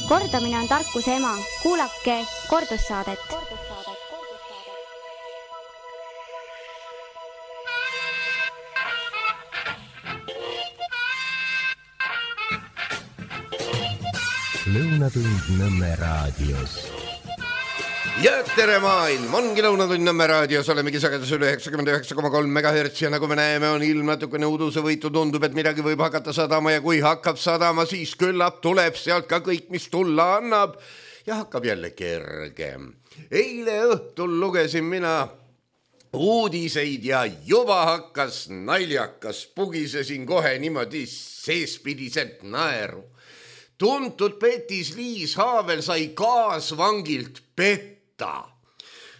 Kordamine on tarkuse ema. Kuulake kordussaadet. Lõunatund Nõmme raadios. Ja tere maailm, ongi Lõunatund Nõmme raadios, olemegi sagedus üle 99,3 MHz ja nagu me näeme, on ilm natukene udusevõitu, tundub, et midagi võib hakata sadama ja kui hakkab sadama, siis küllap tuleb sealt ka kõik, mis tulla annab ja hakkab jälle kergem. Eile õhtul lugesin mina uudiseid ja juba hakkas naljakas, pugisesin kohe niimoodi seespidiselt naeru. Tuntud Petis Liis Haavel sai kaasvangilt petta.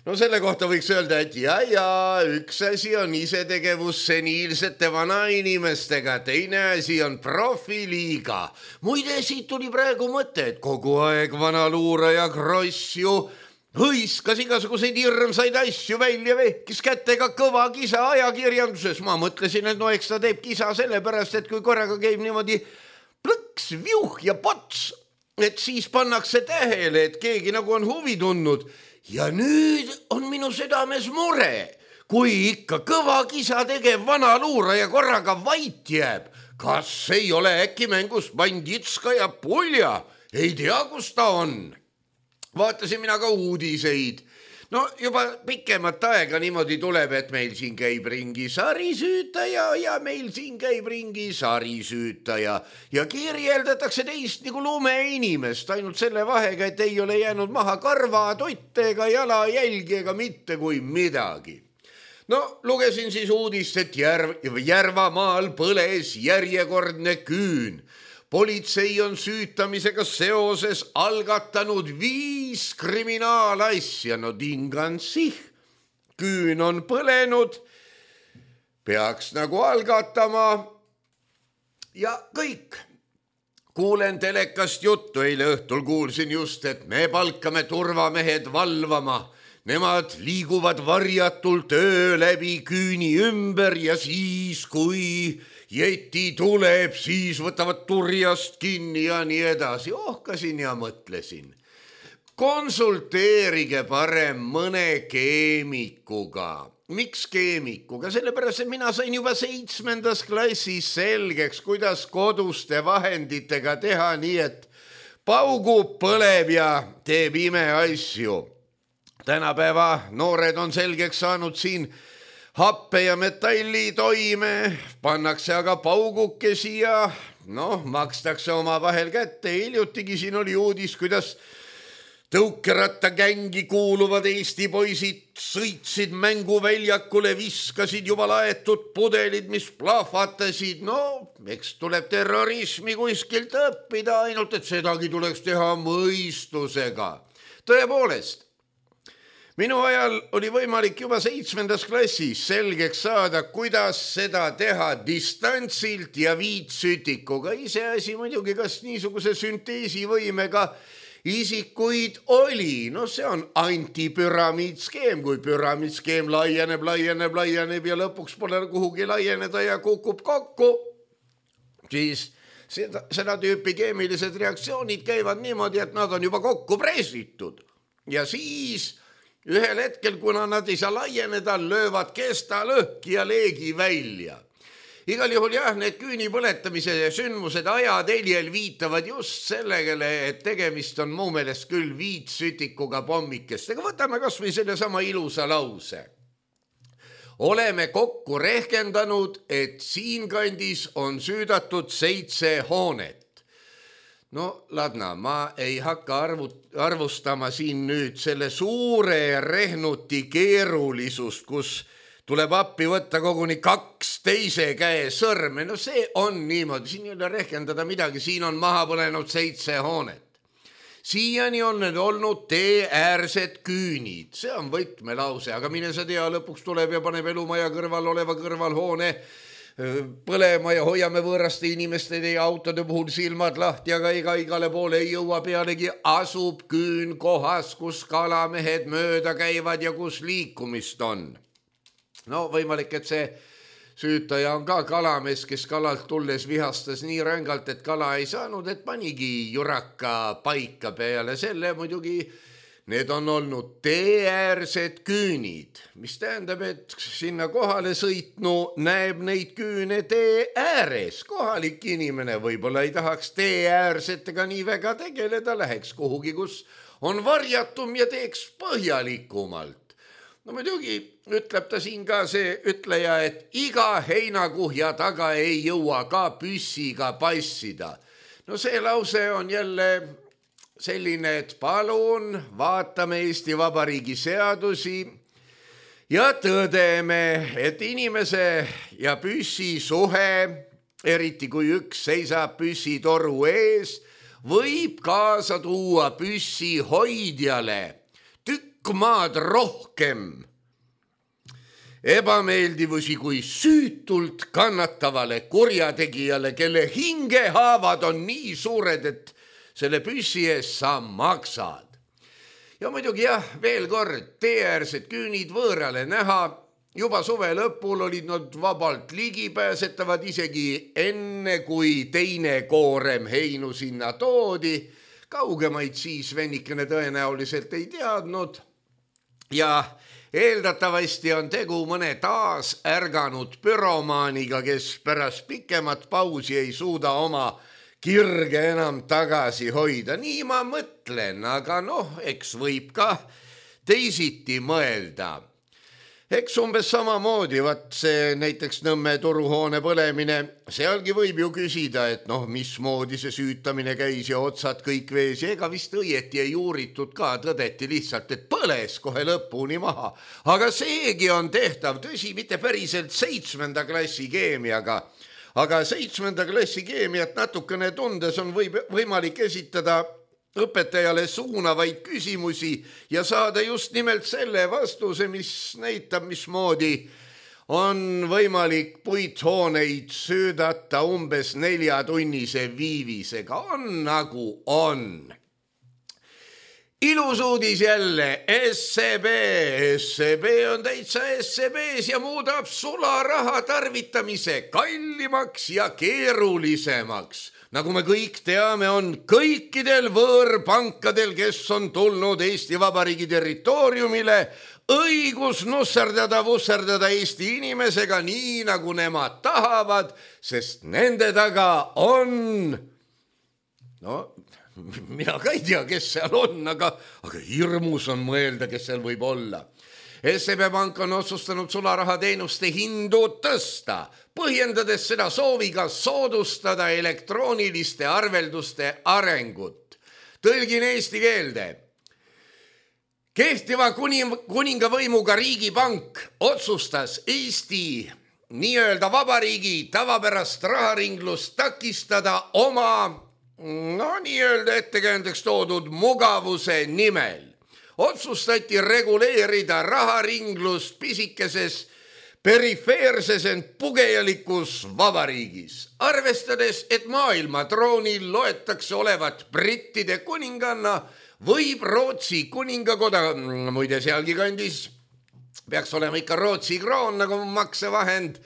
No selle kohta võiks öelda, et üks asi on isetegevus seniilsete vanainimestega, teine asi on profiliiga. Muide, siit tuli praegu mõte, et kogu aeg vanaluuraja Kross ju hõiskas igasuguseid hirmsaid asju välja, vehkis kätega kõva kisa ajakirjanduses. Ma mõtlesin, et no eks ta teeb kisa sellepärast, et kui korraga käib niimoodi plõks, viuh ja pots, et siis pannakse tähele, et keegi nagu on huvi tundnud. Ja nüüd on minu südames mure, kui ikka kõva kisa tegev vana luuraja korraga vait jääb. Kas ei ole äkki mängus Banditska ja Pulja? Ei tea, kus ta on. Vaatasin mina ka uudiseid. No juba pikemat aega niimoodi tuleb, et meil siin käib ringi sarisüütaja ja meil siin käib ringi sarisüütaja ja kirjeldatakse teist nagu lumeinimest, ainult selle vahega, et ei ole jäänud maha karva, totte ega jalajälgi ega mitte kui midagi. No lugesin siis uudist, et Järvamaal põles järjekordne küün. Politsei on süütamisega seoses algatanud 5 kriminaalasja. No tingan sih, küün on põlenud, peaks nagu algatama ja kõik. Kuulen telekast juttu, eile õhtul kuulsin just, et me palkame turvamehed valvama. Nemad liiguvad varjatult öö läbi küüni ümber ja siis, kui jeti tuleb, siis võtavad turjast kinni ja nii edasi. Ohkasin ja mõtlesin. Konsulteerige parem mõne keemikuga. Miks keemikuga? Sellepärast, et mina sain juba 7. klassis selgeks, kuidas koduste vahenditega teha nii, et paugub, põleb ja teeb imeasju. Tänapäeva noored on selgeks saanud siin happe ja metalli toime, pannakse aga paugukesi ja makstakse oma vahel kätte. Hiljutigi siin oli uudis, kuidas tõukerattagängi kuuluvad Eesti poisid sõitsid mänguväljakule, viskasid juba laetud pudelid, mis plahvatasid. Eks tuleb terrorismi kuskilt õppida, ainult et sedagi tuleks teha mõistusega. Tõepoolest, minu ajal oli võimalik juba 7. klassis selgeks saada, kuidas seda teha distantsilt ja viitsütikuga. Iseasi muidugi, kas niisuguse sünteesivõimega isikuid oli. See on antipüramiidskeem, kui püramiidskeem laieneb ja lõpuks pole kuhugi laieneda ja kukub kokku. Siis seda tüüpi keemilised reaktsioonid käivad niimoodi, et nad on juba kokku pressitud. Ja siis ühel hetkel, kuna nad ei saa laieneda, löövad kesta lõhki ja leegi välja. Igal juhul need küüni põletamise sündmused ajateljel viitavad just sellegele, et tegemist on mu meelest küll viitsütikuga pommikestega. Võtame kas või selle sama ilusa lause. Oleme kokku rehkendanud, et siinkandis on süüdatud 7 hoonet. Ladna, ma ei hakka arvustama siin nüüd selle suure rehnuti keerulisust, kus tuleb appi võtta koguni 2 teise käe sõrme. See on niimoodi, siin ei ole rehkendada midagi, siin on maha põlenud 7 hoonet. Siiani on need olnud teeäärsed küünid, see on võtmelause, aga mine sa tea, lõpuks tuleb ja paneb elumaja kõrval oleva kõrvalhoone põlema ja hoiame võõraste inimeste ja autode puhul silmad lahti, aga igale poole ei jõua, pealegi asub küün kohas, kus kalamehed mööda käivad ja kus liikumist on. Võimalik, et see süütaja on ka kalamees, kes kalalt tulles vihastas nii rängalt, et kala ei saanud, et panigi juraka paika. Peale selle muidugi need on olnud teeäärsed küünid, mis tähendab, et sinna kohale sõitnu näeb neid küüne tee ääres. Kohalik inimene võib-olla ei tahaks teeäärsetega nii väga tegeleda, läheks kuhugi, kus on varjatum ja teeks põhjalikumalt. No muidugi ütleb ta siin ka see ütleja, et iga heinakuhja taga ei jõua ka püssiga passida. No see lause on jälle selline, et palun vaatame Eesti Vabariigi seadusi ja tõdeme, et inimese ja püssi suhe, eriti kui üks seisab püssitoru ees, võib kaasa tuua püssi hoidjale tükk maad rohkem ebameeldivusi kui süütult kannatavale kurjategijale, kelle hingehaavad on nii suured, et selle püssi ees sa maksad. Ja muidugi jah, veel kord, teeäärsed küünid võõrale näha. Juba suve lõpul olid nad vabalt ligipääsetavad isegi enne, kui teine koorem heinu sinna toodi. Kaugemaid siis vennikene tõenäoliselt ei teadnud. Ja eeldatavasti on tegu mõne taas ärganud pyromaaniga, kes pärast pikemat pausi ei suuda oma kirge enam tagasi hoida. Nii ma mõtlen, aga eks võib ka teisiti mõelda. Eks umbes samamoodi, see näiteks Nõmme turuhoone põlemine, sealgi võib ju küsida, et mismoodi see süütamine käis ja otsad kõik vees ja ega vist õieti ei uuritud ka, tõdeti lihtsalt, et põles kohe lõpuni maha. Aga seegi on tehtav, tõsi, mitte päriselt 7. klassi keemiaga, aga 7. klassi keemiat natukene tundes on võimalik esitada õpetajale suunavaid küsimusi ja saada just nimelt selle vastuse, mis näitab, mismoodi on võimalik puithooneid söödata umbes 4-tunnise viivisega. On nagu on. Ilus uudis jälle, SEB on täitsa SEB-s ja muudab sularaha tarvitamise kallimaks ja keerulisemaks. Nagu me kõik teame, on kõikidel võõrpankadel, kes on tulnud Eesti Vabariigi territooriumile, õigus vusserdada Eesti inimesega nii, nagu nemad tahavad, sest nende taga on... mina ka ei tea, kes seal on, aga hirmus on mõelda, kes seal võib olla. SEB Pank on otsustanud sularahateenuste hindu tõsta, põhjendades seda sooviga soodustada elektrooniliste arvelduste arengut. Tõlgin eesti keelde. Kehtiva kuningavõimuga riigipank otsustas Eesti nii-öelda vabariigi tavapärast raharinglust takistada oma nii-öelda ettekäändeks toodud mugavuse nimel. Otsustati reguleerida raharinglust pisikeses perifeerses ent pugejalikus vabariigis. Arvestades, et maailma troonil loetakse olevat brittide kuninganna, võib Rootsi kuningakoda, muide sealgi kandis, peaks olema ikka Rootsi kroon nagu maksevahend,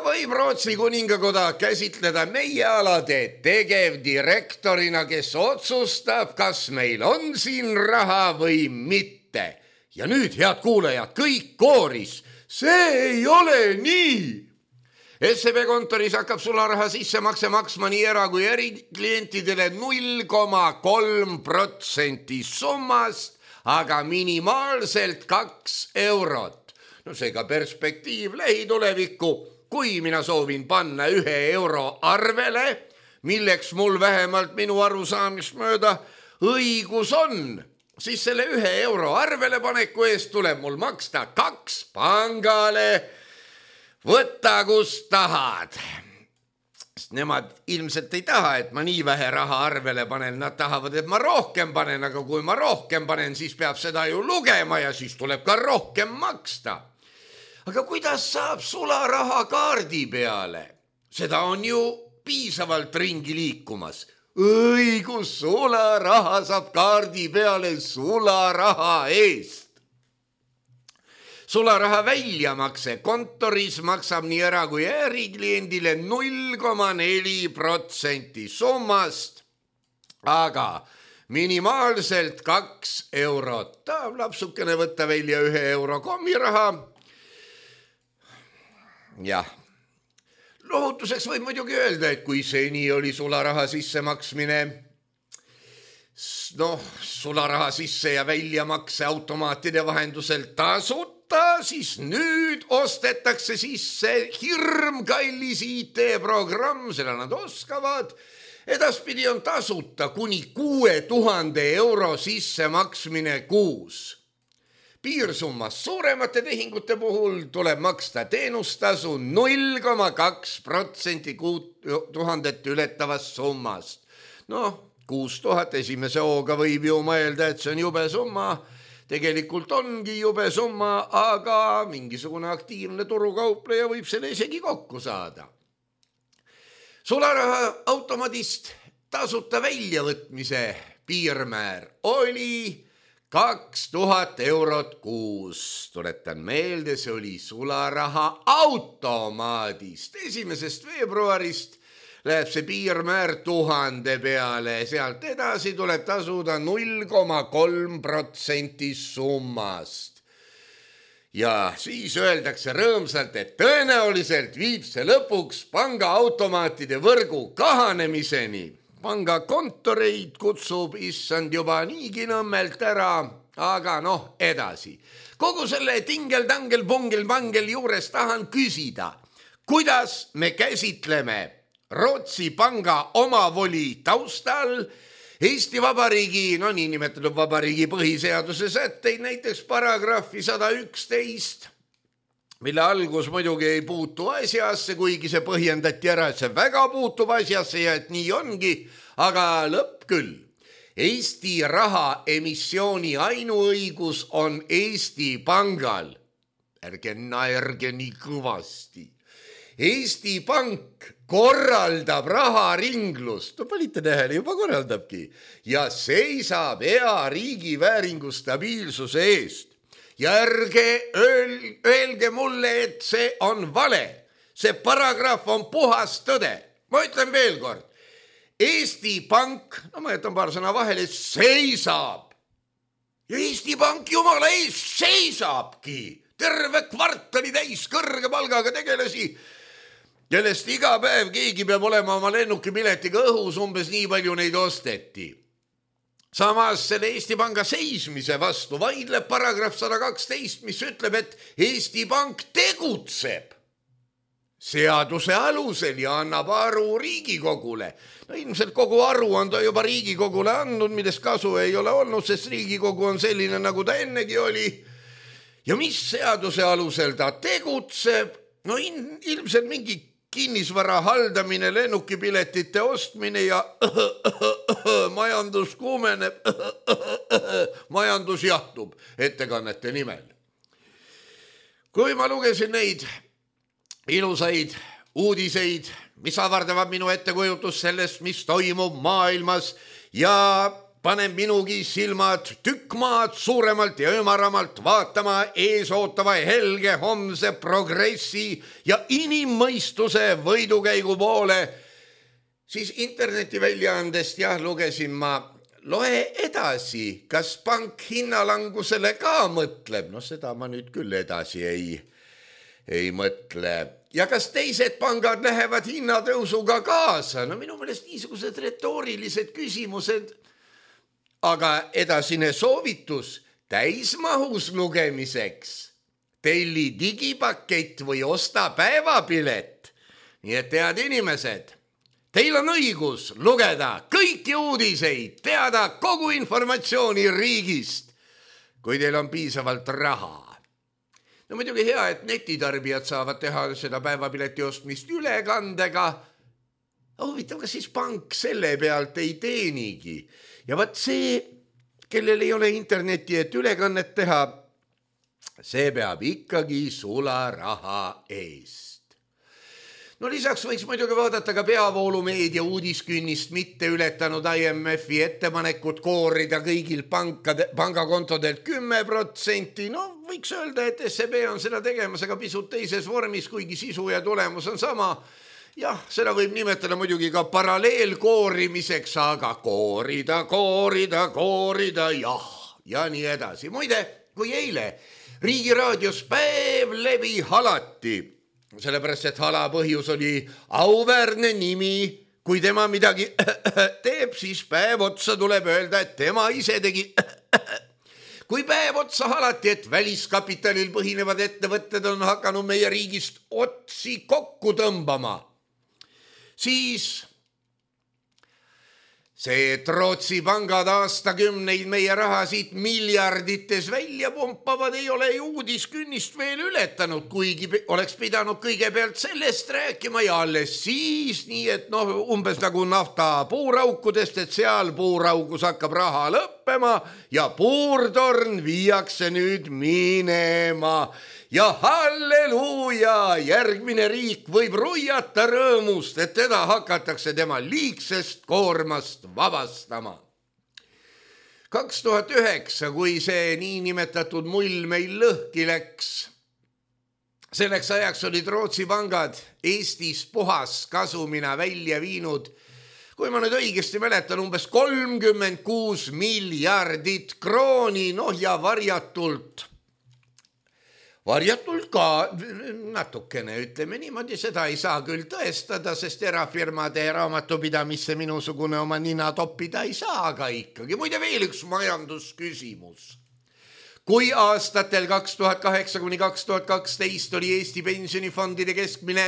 võib Rootsi kuningakoda käsitleda meie alade tegevdirektorina, kes otsustab, kas meil on siin raha või mitte. Ja nüüd, head kuulajad, kõik kooris, see ei ole nii. SEB kontoris hakkab sularaha sissemakse maksma nii era- kui eriklientidele 0,3% summast, aga minimaalselt 2 eurot. No seega perspektiiv lähitulevikku. Kui mina soovin panna 1 euro arvele, milleks mul vähemalt minu arusaamist mööda õigus on, siis selle 1 euro arvele paneku eest tuleb mul maksta 2 pangale. Võta kus tahad. Nemad ilmselt ei taha, et ma nii vähe raha arvele panen, nad tahavad, et ma rohkem panen, aga kui ma rohkem panen, siis peab seda ju lugema ja siis tuleb ka rohkem maksta. Aga kuidas saab sularaha kaardi peale? Seda on ju piisavalt ringi liikumas. Õigus, sularaha saab kaardi peale sularaha eest. sularaha väljamakse kontoris maksab nii era- kui ärikliendile 0,4% summast, aga minimaalselt 2 eurot. Tahab lapsukene võtta välja 1 euro kommiraha. Jah. Lohutuseks võib muidugi öelda, et kui seni oli sularaha sissemaksmine, sularaha sisse ja väljamakse automaatide vahendusel tasuta, siis nüüd ostetakse sisse hirmkallis IT-programm, seda nad oskavad. Edaspidi on tasuta kuni 6000 euro sissemaksmine kuus. Piirsummas suuremate tehingute puhul tuleb maksta teenustasu 0,2% 6000 ületavast summast. 6000 esimese hooga võib ju mõelda, et see on jube summa. Tegelikult ongi jube summa, aga mingisugune aktiivne turukaupleja võib selle isegi kokku saada. Sularaha automaadist tasuta väljavõtmise piirmäär oli 2000 eurot kuus. Tuletan meelde, see oli sularaha automaadist. 1. veebruarist läheb see piirmäär 1000 peale. Sealt edasi tuleb tasuda 0,3% summast. Ja siis öeldakse rõõmsalt, et tõenäoliselt viib see lõpuks pangaautomaatide võrgu kahanemiseni. Pangakontoreid kutsub issand juba niigi Nõmmelt ära, aga edasi. Kogu selle tingel-tangel-pungel-pangel juures tahan küsida, kuidas me käsitleme Rootsi panga omavoli taustal Eesti Vabariigi, niinimetatud vabariigi põhiseaduse sätteid, näiteks paragrahvi 111, mille algus muidugi ei puutu asjasse, kuigi see põhjendati ära, et see väga puutub asjasse ja et nii ongi, aga lõpp küll. Eesti raha emissiooni ainuõigus on Eesti Pangal. Ärge naerge nii kõvasti. Eesti Pank korraldab raharinglust, panite tähele, juba korraldabki, ja seisab hea riigi vääringu stabiilsuse eest. Ja ärge öelge mulle, et see on vale. See paragrahv on puhas tõde. Ma ütlen veel kord. Eesti Pank, ma jätan paar sõna vahele, seisab. Ja Eesti Pank jumala ees seisabki. Terve kvartali täis kõrge palgaga tegelasi, kellest iga päev keegi peab olema oma lennukipiletiga õhus, umbes nii palju neid osteti. Samas selle Eesti Panga seismise vastu vaidleb paragrahv 112, mis ütleb, et Eesti Pank tegutseb seaduse alusel ja annab aru Riigikogule. Ilmselt kogu aru on ta juba Riigikogule andnud, millest kasu ei ole olnud, sest Riigikogu on selline, nagu ta ennegi oli. Ja mis seaduse alusel ta tegutseb? Ilmselt mingi kinnisvara haldamine, lennukipiletite ostmine ja majandus kuumeneb, majandus jahtub ettekannete nimel. Kui ma lugesin neid ilusaid uudiseid, mis avardavad minu ettekujutus sellest, mis toimub maailmas ja panen minugi silmad tükk maad suuremalt ja ümaramalt vaatama eesootava helge homse progressi ja inimmõistuse võidukäigu poole, siis internetiväljaandest lugesin ma, loe edasi, kas pank hinnalangusele ka mõtleb. Seda ma nüüd küll edasi ei mõtle. Ja kas teised pangad lähevad hinnatõusuga kaasa? Minu meelest niisugused retoorilised küsimused. Aga edasine soovitus täismahus lugemiseks. Telli digipakett või osta päevapilet. Nii et head inimesed, teil on õigus lugeda kõiki uudiseid, teada kogu informatsiooni riigist, kui teil on piisavalt raha. Muidugi hea, et netitarbijad saavad teha seda päevapileti ostmist ülekandega. Huvitav, kas siis pank selle pealt ei teenigi? Ja vaat see, kellel ei ole interneti, et ülekannet teha, see peab ikkagi sularaha eest. No lisaks võiks muidugi vaadata ka peavoolumeedia uudiskünnist mitte ületanud IMF-i ettepanekut koorida kõigil pangakontodelt 10%. No võiks öelda, et SEB on seda tegemas, aga pisut teises vormis, kuigi sisu ja tulemus on sama. Jah, seda võib nimetada muidugi ka paralleelkoorimiseks, aga koorida, jah, ja nii edasi. Muide, kui eile Riigi raadios päev läbi halati, sellepärast, et hala põhjus oli auväärne nimi. Kui tema midagi teeb, siis päev otsa tuleb öelda, et tema ise tegi. Kui päev otsa halati, et väliskapitalil põhinevad ettevõtted on hakanud meie riigist otsi kokku tõmbama, siis see, et Rootsi pangad aastakümneid meie raha siit miljardites välja pumpavad, ei ole ju uudiskünnist veel ületanud, kuigi oleks pidanud kõigepealt sellest rääkima ja alles siis, nii et umbes nagu nafta puuraukudest, et seal puuraugus hakkab raha lõppema ja puurtorn viiakse nüüd minema. Ja halleluuja, järgmine riik võib ruiata rõõmust, et teda hakatakse tema liigsest koormast vabastama. 2009, kui see niinimetatud mull meil lõhki läks, selleks ajaks olid Rootsi pangad Eestis puhas kasumina välja viinud, kui ma nüüd õigesti mäletan, umbes 36 miljardit krooni, ja varjatult ka natukene, ütleme niimoodi, seda ei saa küll tõestada, sest erafirmade raamatupidamisse minusugune oma nina toppida ei saa, aga ikkagi. Muide veel üks majandusküsimus. Kui aastatel 2008–2012 oli Eesti pensionifondide keskmine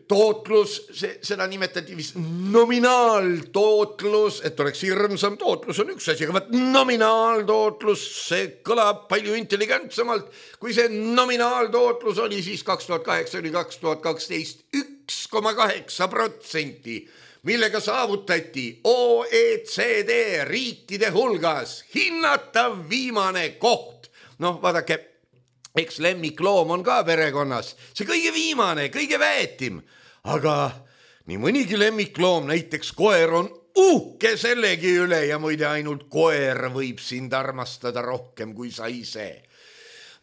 tootlus, seda nimetati vist nominaaltootlus, et oleks hirmsam, tootlus on üks asi, aga nominaaltootlus, see kõlab palju intelligentsemalt, kui see nominaaltootlus oli siis 2008–2012 1,8%, millega saavutati OECD riikide hulgas hinnatav viimane koht. Vaadake, eks lemmikloom on ka perekonnas, see kõige viimane, kõige väetim, aga nii mõnigi lemmikloom, näiteks koer on uhke sellegi üle ja muide ainult koer võib sind armastada rohkem kui sa ise.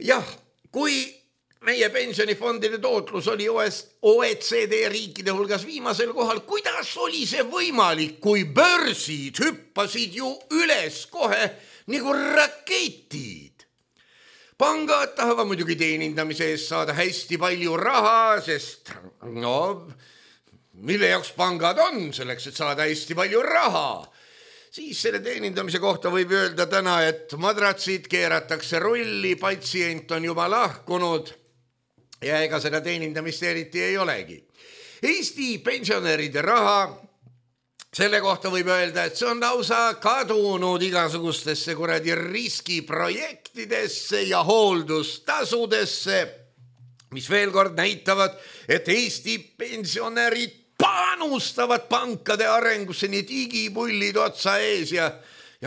Jah, kui meie pensionifondide tootlus oli OECD riikide hulgas viimasel kohal, kuidas oli see võimalik, kui börsid hüppasid ju üles kohe nagu raketid? Pangad tahavad muidugi teenindamise eest saada hästi palju raha, sest mille jaoks pangad on, selleks, et saada hästi palju raha. Siis selle teenindamise kohta võib öelda täna, et madratsid keeratakse rulli, patsient on juba lahkunud ja ega seda teenindamist eriti ei olegi. Eesti pensionäride raha, selle kohta võib öelda, et see on lausa kadunud igasugustesse riskiprojektidesse ja hooldustasudesse, mis veel kord näitavad, et Eesti pensionärid panustavad pankade arengusse nii digipullid otsa ees ja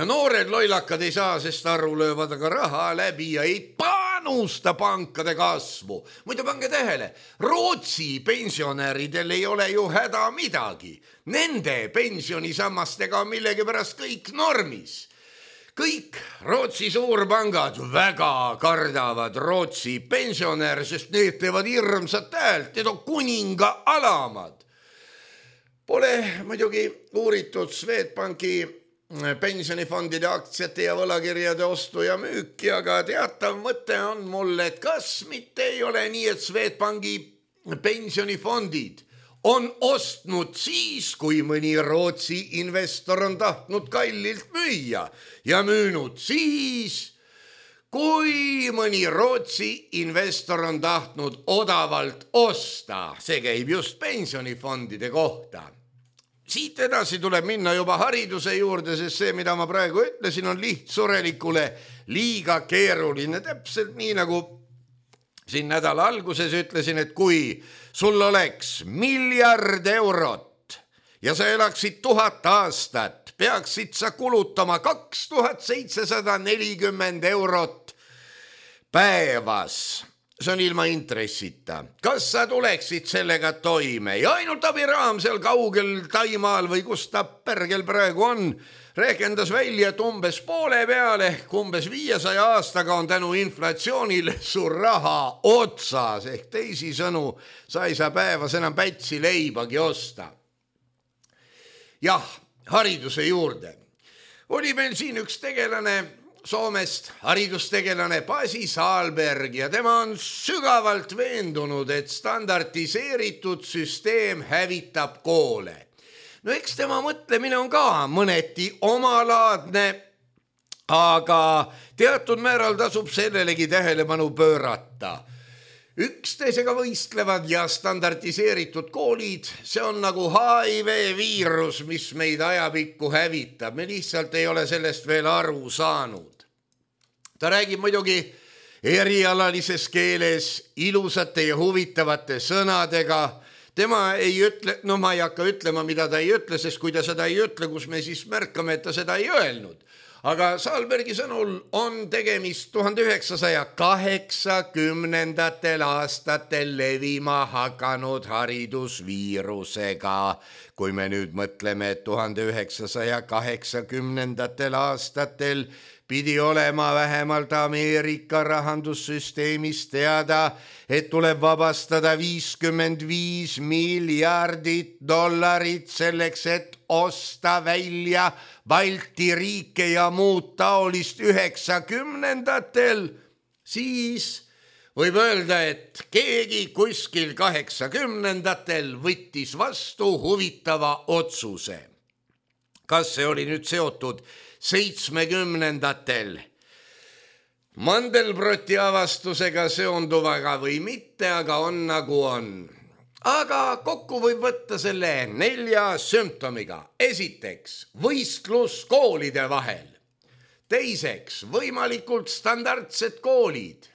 noored loilakad ei saa, sest aru löövad aga raha läbi ja ei panusta pankade kasvu. Muidu pange tähele, Rootsi pensionäridel ei ole ju häda midagi. Nende pensionisammastega on millegipärast kõik normis. Kõik Rootsi suurpangad väga kardavad Rootsi pensionäre, sest need teevad hirmsat häält, need on kuninga alamad. Pole muidugi uuritud Swedbanki pensionifondide aktsiate ja võlakirjade ostu ja müüki, aga teatav mõte on mulle, et kas mitte ei ole nii, et Swedbanki pensionifondid on ostnud siis, kui mõni Rootsi investor on tahtnud kallilt müüa ja müünud siis, kui mõni Rootsi investor on tahtnud odavalt osta. See käib just pensionifondide kohta. Siit edasi tuleb minna juba hariduse juurde, sest see, mida ma praegu ütlesin, on lihtsurelikule liiga keeruline. Täpselt nii, nagu siin nädala alguses ütlesin, et kui sul oleks 1 miljard eurot ja sa elaksid 1000 aastat, peaksid sa kulutama 2740 eurot päevas see on ilma intressita. Kas sa tuleksid sellega toime ja ainult abiraam seal kaugel Taimaal või kus ta pärgel praegu on, rehkendas välja, et umbes poole peale ehk umbes 500 aastaga on tänu inflatsioonile su raha otsas ehk teisisõnu, sa ei saa päevas enam pätsi leibagi osta. Jah, hariduse juurde. Oli meil siin üks tegelane Soomest, haridustegelane Pasi Saalberg ja tema on sügavalt veendunud, et standardiseeritud süsteem hävitab koole. No eks tema mõtlemine on ka mõneti omalaadne, aga teatud määral tasub sellelegi tähelepanu pöörata. Üksteisega võistlevad ja standardiseeritud koolid, see on nagu HIV-viirus, mis meid ajapikku hävitab. Me lihtsalt ei ole sellest veel aru saanud. Ta räägib muidugi erialalises keeles, ilusate ja huvitavate sõnadega. Tema ei ütle, ma ei hakka ütlema, mida ta ei ütle, sest kui ta seda ei ütle, kus me siis märkame, et ta seda ei öelnud. Aga Saalbergi sõnul on tegemist 1980. aastatel levima hakanud haridusviirusega. Kui me nüüd mõtleme, et 1980. aastatel pidi olema vähemalt Ameerika rahandussüsteemis teada, et tuleb vabastada $55 miljardit selleks, et osta välja Balti riike ja muud taolist 90-ndatel, siis võib öelda, et keegi kuskil 80-ndatel võttis vastu huvitava otsuse. Kas see oli nüüd seotud 70-ndatel Mandelbroti avastusega seonduvaga või mitte, aga on nagu on. Aga kokku võib võtta selle 4 sümptomiga. Esiteks, võistlus koolide vahel. Teiseks, võimalikult standardsed koolid.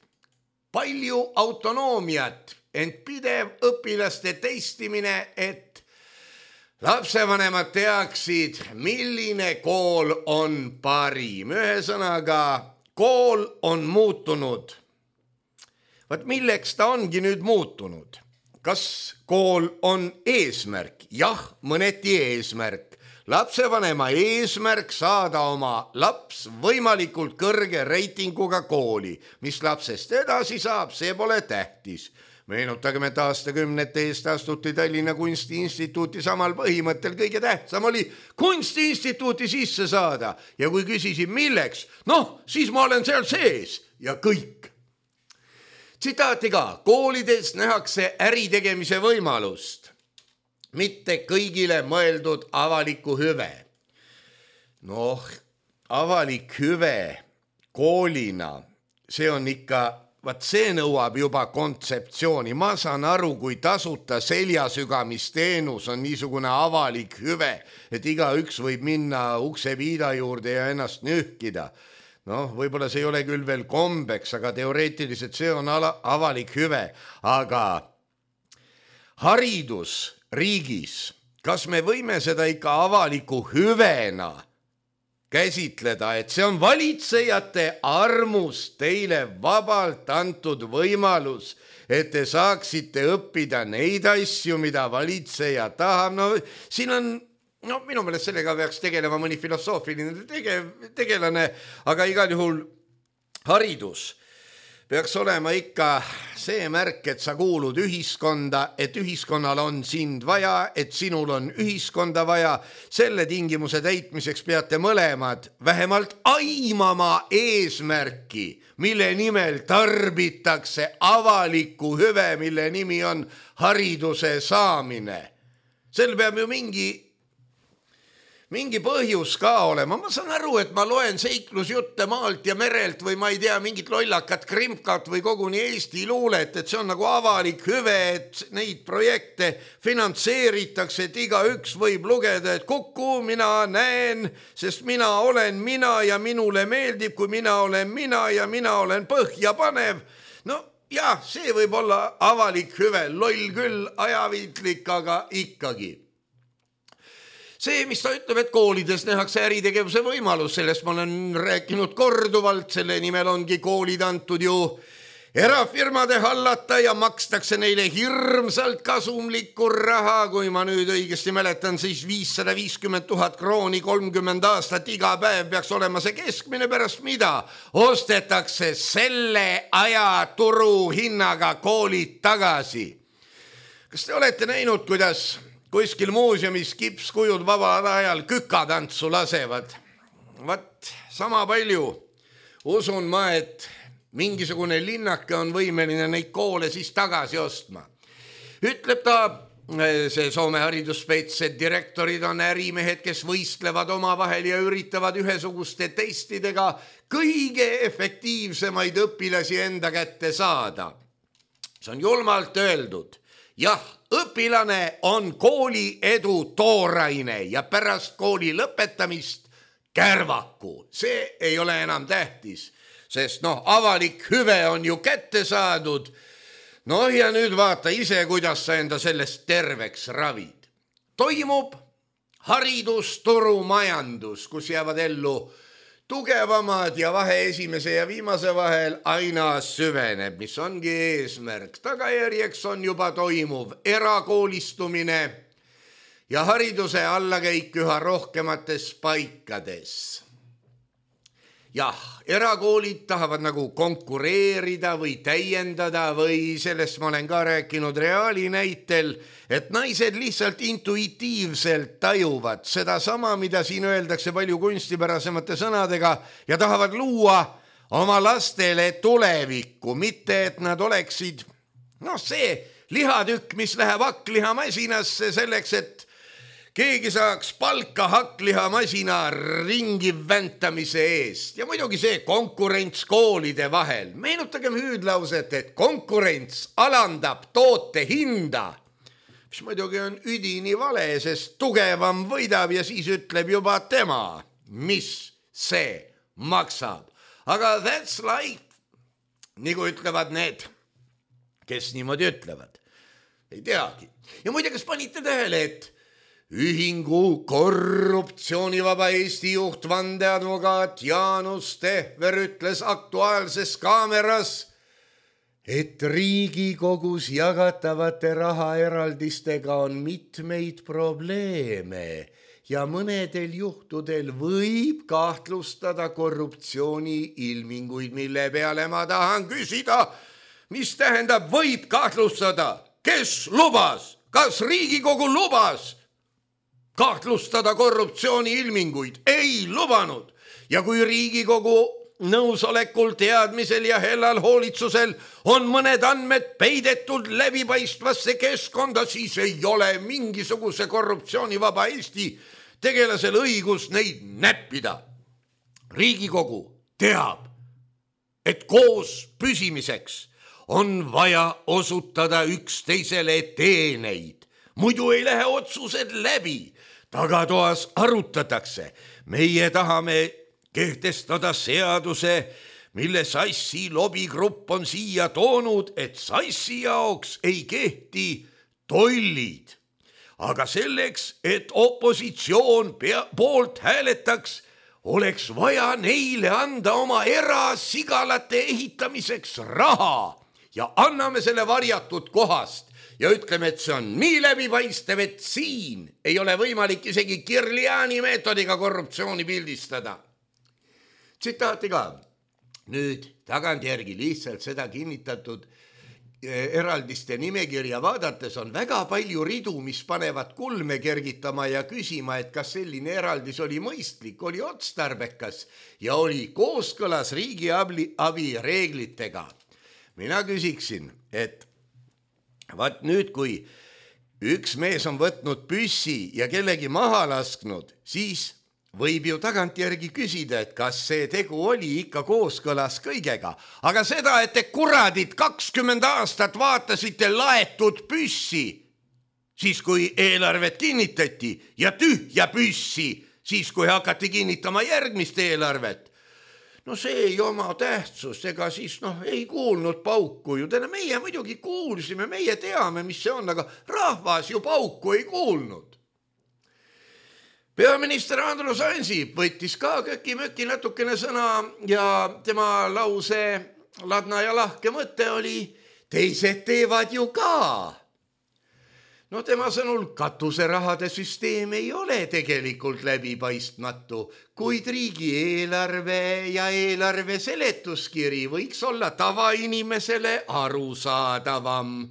Palju autonoomiat, ent pidev õpilaste testimine, et lapsevanemad teaksid, milline kool on parim. Ühesõnaga, kool on muutunud. Vaat milleks ta ongi nüüd muutunud? Kas kool on eesmärk? Jah, mõneti eesmärk. Lapsevanema eesmärk saada oma laps võimalikult kõrge reitinguga kooli. Mis lapsest edasi saab, see pole tähtis. Meenutagem, et aastakümnete eest astuti Tallinna Kunstiinstituuti samal põhimõttel. Kõige tähtsam oli Kunstiinstituuti sisse saada. Ja kui küsisin milleks, siis ma olen seal sees ja kõik. Tsitaati ka, koolides nähakse äritegemise võimalust, mitte kõigile mõeldud avaliku hüve. Avalik hüve koolina, see on ikka, see nõuab juba kontseptsiooni. Ma saan aru, kui tasuta seljasügamisteenus on niisugune avalik hüve, et igaüks võib minna uksepiida juurde ja ennast nühkida. Võib-olla see ei ole küll veel kombeks, aga teoreetiliselt see on avalik hüve. Aga haridus riigis, kas me võime seda ikka avaliku hüvena käsitleda, et see on valitsejate armust teile vabalt antud võimalus, et te saaksite õppida neid asju, mida valitseja tahab. Siin on minu meelest sellega peaks tegelema mõni filosoofiline tegelane, aga igal juhul haridus peaks olema ikka see märk, et sa kuulud ühiskonda, et ühiskonnal on sind vaja, et sinul on ühiskonda vaja. Selle tingimuse täitmiseks peate mõlemad vähemalt aimama eesmärki, mille nimel tarbitakse avalikku hüve, mille nimi on hariduse saamine. Sel peab ju mingi põhjus ka olema. Ma saan aru, et ma loen seiklusjutte maalt ja merelt või ma ei tea, mingit lollakat krimkat või koguni Eesti luulet, et see on nagu avalik hüve, et neid projekte finantseeritakse, et igaüks võib lugeda, et Kuku, mina näen, sest mina olen mina ja minule meeldib, kui mina olen mina ja mina olen põhjapanev. Jah, see võib olla avalik hüve, loll küll, ajaviitlik, aga ikkagi. See, mis ta ütleb, et koolides nähakse äritegevuse võimalus, sellest ma olen rääkinud korduvalt, selle nimel ongi koolid antud ju erafirmade hallata ja makstakse neile hirmsalt kasumlikku raha, kui ma nüüd õigesti mäletan, siis 550 000 krooni 30 aastat iga päev peaks olema see keskmine, pärast mida ostetakse selle aja turuhinnaga koolid tagasi. Kas te olete näinud, kuidas kuskil muuseumis kipskujud vabal ajal kükatantsu lasevad? Vat sama palju usun ma, et mingisugune linnake on võimeline neid koole siis tagasi ostma. Ütleb ta, see Soome haridusspets, et direktorid on ärimehed, kes võistlevad omavahel ja üritavad ühesuguste testidega kõige efektiivsemaid õpilasi enda kätte saada. See on julmalt öeldud. Jah, õpilane on kooli edu tooraine ja pärast kooli lõpetamist kärvaku. See ei ole enam tähtis, sest avalik hüve on ju kätte saadud. Ja nüüd vaata ise, kuidas sa enda sellest terveks ravid. Toimub haridusturumajandus, kus jäävad ellu tugevamad ja vahe esimese ja viimase vahel aina süveneb, mis ongi eesmärk. Tagajärjeks on juba toimuv erakoolistumine ja hariduse allakäik üha rohkemates paikades. Jah, erakoolid tahavad nagu konkureerida või täiendada või sellest ma olen ka rääkinud Reali näitel, et naised lihtsalt intuitiivselt tajuvad seda sama, mida siin öeldakse palju kunstipärasemate sõnadega ja tahavad luua oma lastele tulevikku, mitte et nad oleksid see lihatükk, mis läheb hakklihamasinasse selleks, et keegi saaks palka hakklihamasina ringi väntamise eest. Ja muidugi see konkurents koolide vahel. Meenutagem hüüdlauset, et konkurents alandab toote hinda, mis muidugi on üdini vale, sest tugevam võidab ja siis ütleb juba tema, mis see maksab. Aga that's life, nagu ütlevad need, kes niimoodi ütlevad. Ei teagi. Ja muide, kas panite tähele, et ühingu korruptsioonivaba Eesti juht vandeadvokaat Jaanus Tehver ütles Aktuaalses Kaameras, et Riigikogus jagatavate rahaeraldistega on mitmeid probleeme ja mõnedel juhtudel võib kahtlustada korruptsiooni ilminguid, mille peale ma tahan küsida, mis tähendab võib kahtlustada, kes lubas, kas Riigikogu lubas kahtlustada korruptsiooni ilminguid? Ei lubanud. Ja kui Riigikogu nõusolekul, teadmisel ja hellal hoolitsusel on mõned andmed peidetud läbipaistvasse keskkonda, siis ei ole mingisuguse korruptsioonivaba Eesti tegelasel õigus neid näppida. Riigikogu teab, et koos püsimiseks on vaja osutada üksteisele teeneid. Muidu ei lähe otsused läbi. Tagatoas arutatakse. Meie tahame kehtestada seaduse, mille Sassi lobigrupp on siia toonud, et Sassi jaoks ei kehti tollid. Aga selleks, et opositsioon poolt hääletaks, oleks vaja neile anda oma erasigalate ehitamiseks raha ja anname selle varjatud kohast. Ja ütleme, et see on nii läbipaistev, et siin ei ole võimalik isegi Kirliani meetodiga korruptsiooni pildistada. Tsitaati ka. Nüüd tagantjärgi lihtsalt seda kinnitatud eraldiste nimekirja vaadates on väga palju ridu, mis panevad kulme kergitama ja küsima, et kas selline eraldis oli mõistlik, oli otstarbekas ja oli kooskõlas riigiabi reeglitega. Mina küsiksin, et vaat nüüd, kui üks mees on võtnud püssi ja kellegi maha lasknud, siis võib ju tagantjärgi küsida, et kas see tegu oli ikka kooskõlas kõigega. Aga seda, et te kuradid 20 aastat vaatasite laetud püssi, siis kui eelarvet kinnitati ja tühja püssi, siis kui hakati kinnitama järgmist eelarvet. See ei oma tähtsust, ega siis ei kuulnud pauku ju. Meie muidugi kuulsime, meie teame, mis see on, aga rahvas ju pauku ei kuulnud. Peaminister Andrus Ansip võttis ka köki-möki natukene sõna ja tema lause ladna ja lahke mõte oli, teised teevad ju ka. No tema sõnul katuserahade süsteem ei ole tegelikult läbipaistmatu, kuid riigieelarve ja eelarve seletuskiri võiks olla tavainimesele arusaadavam.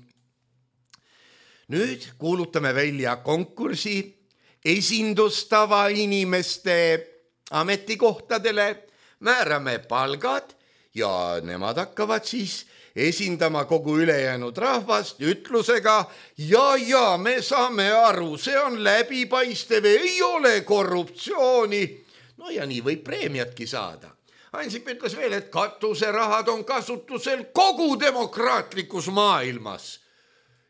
Nüüd kuulutame välja konkursi esindustava inimeste ametikohtadele, määrame palgad ja nemad hakkavad siis esindama kogu ülejäänud rahvast ütlusega ja me saame aru, see on läbipaistev, ei ole korruptsiooni. No ja nii võib preemiatki saada. Ansip ütles veel, et katuserahad on kasutusel kogu demokraatlikus maailmas.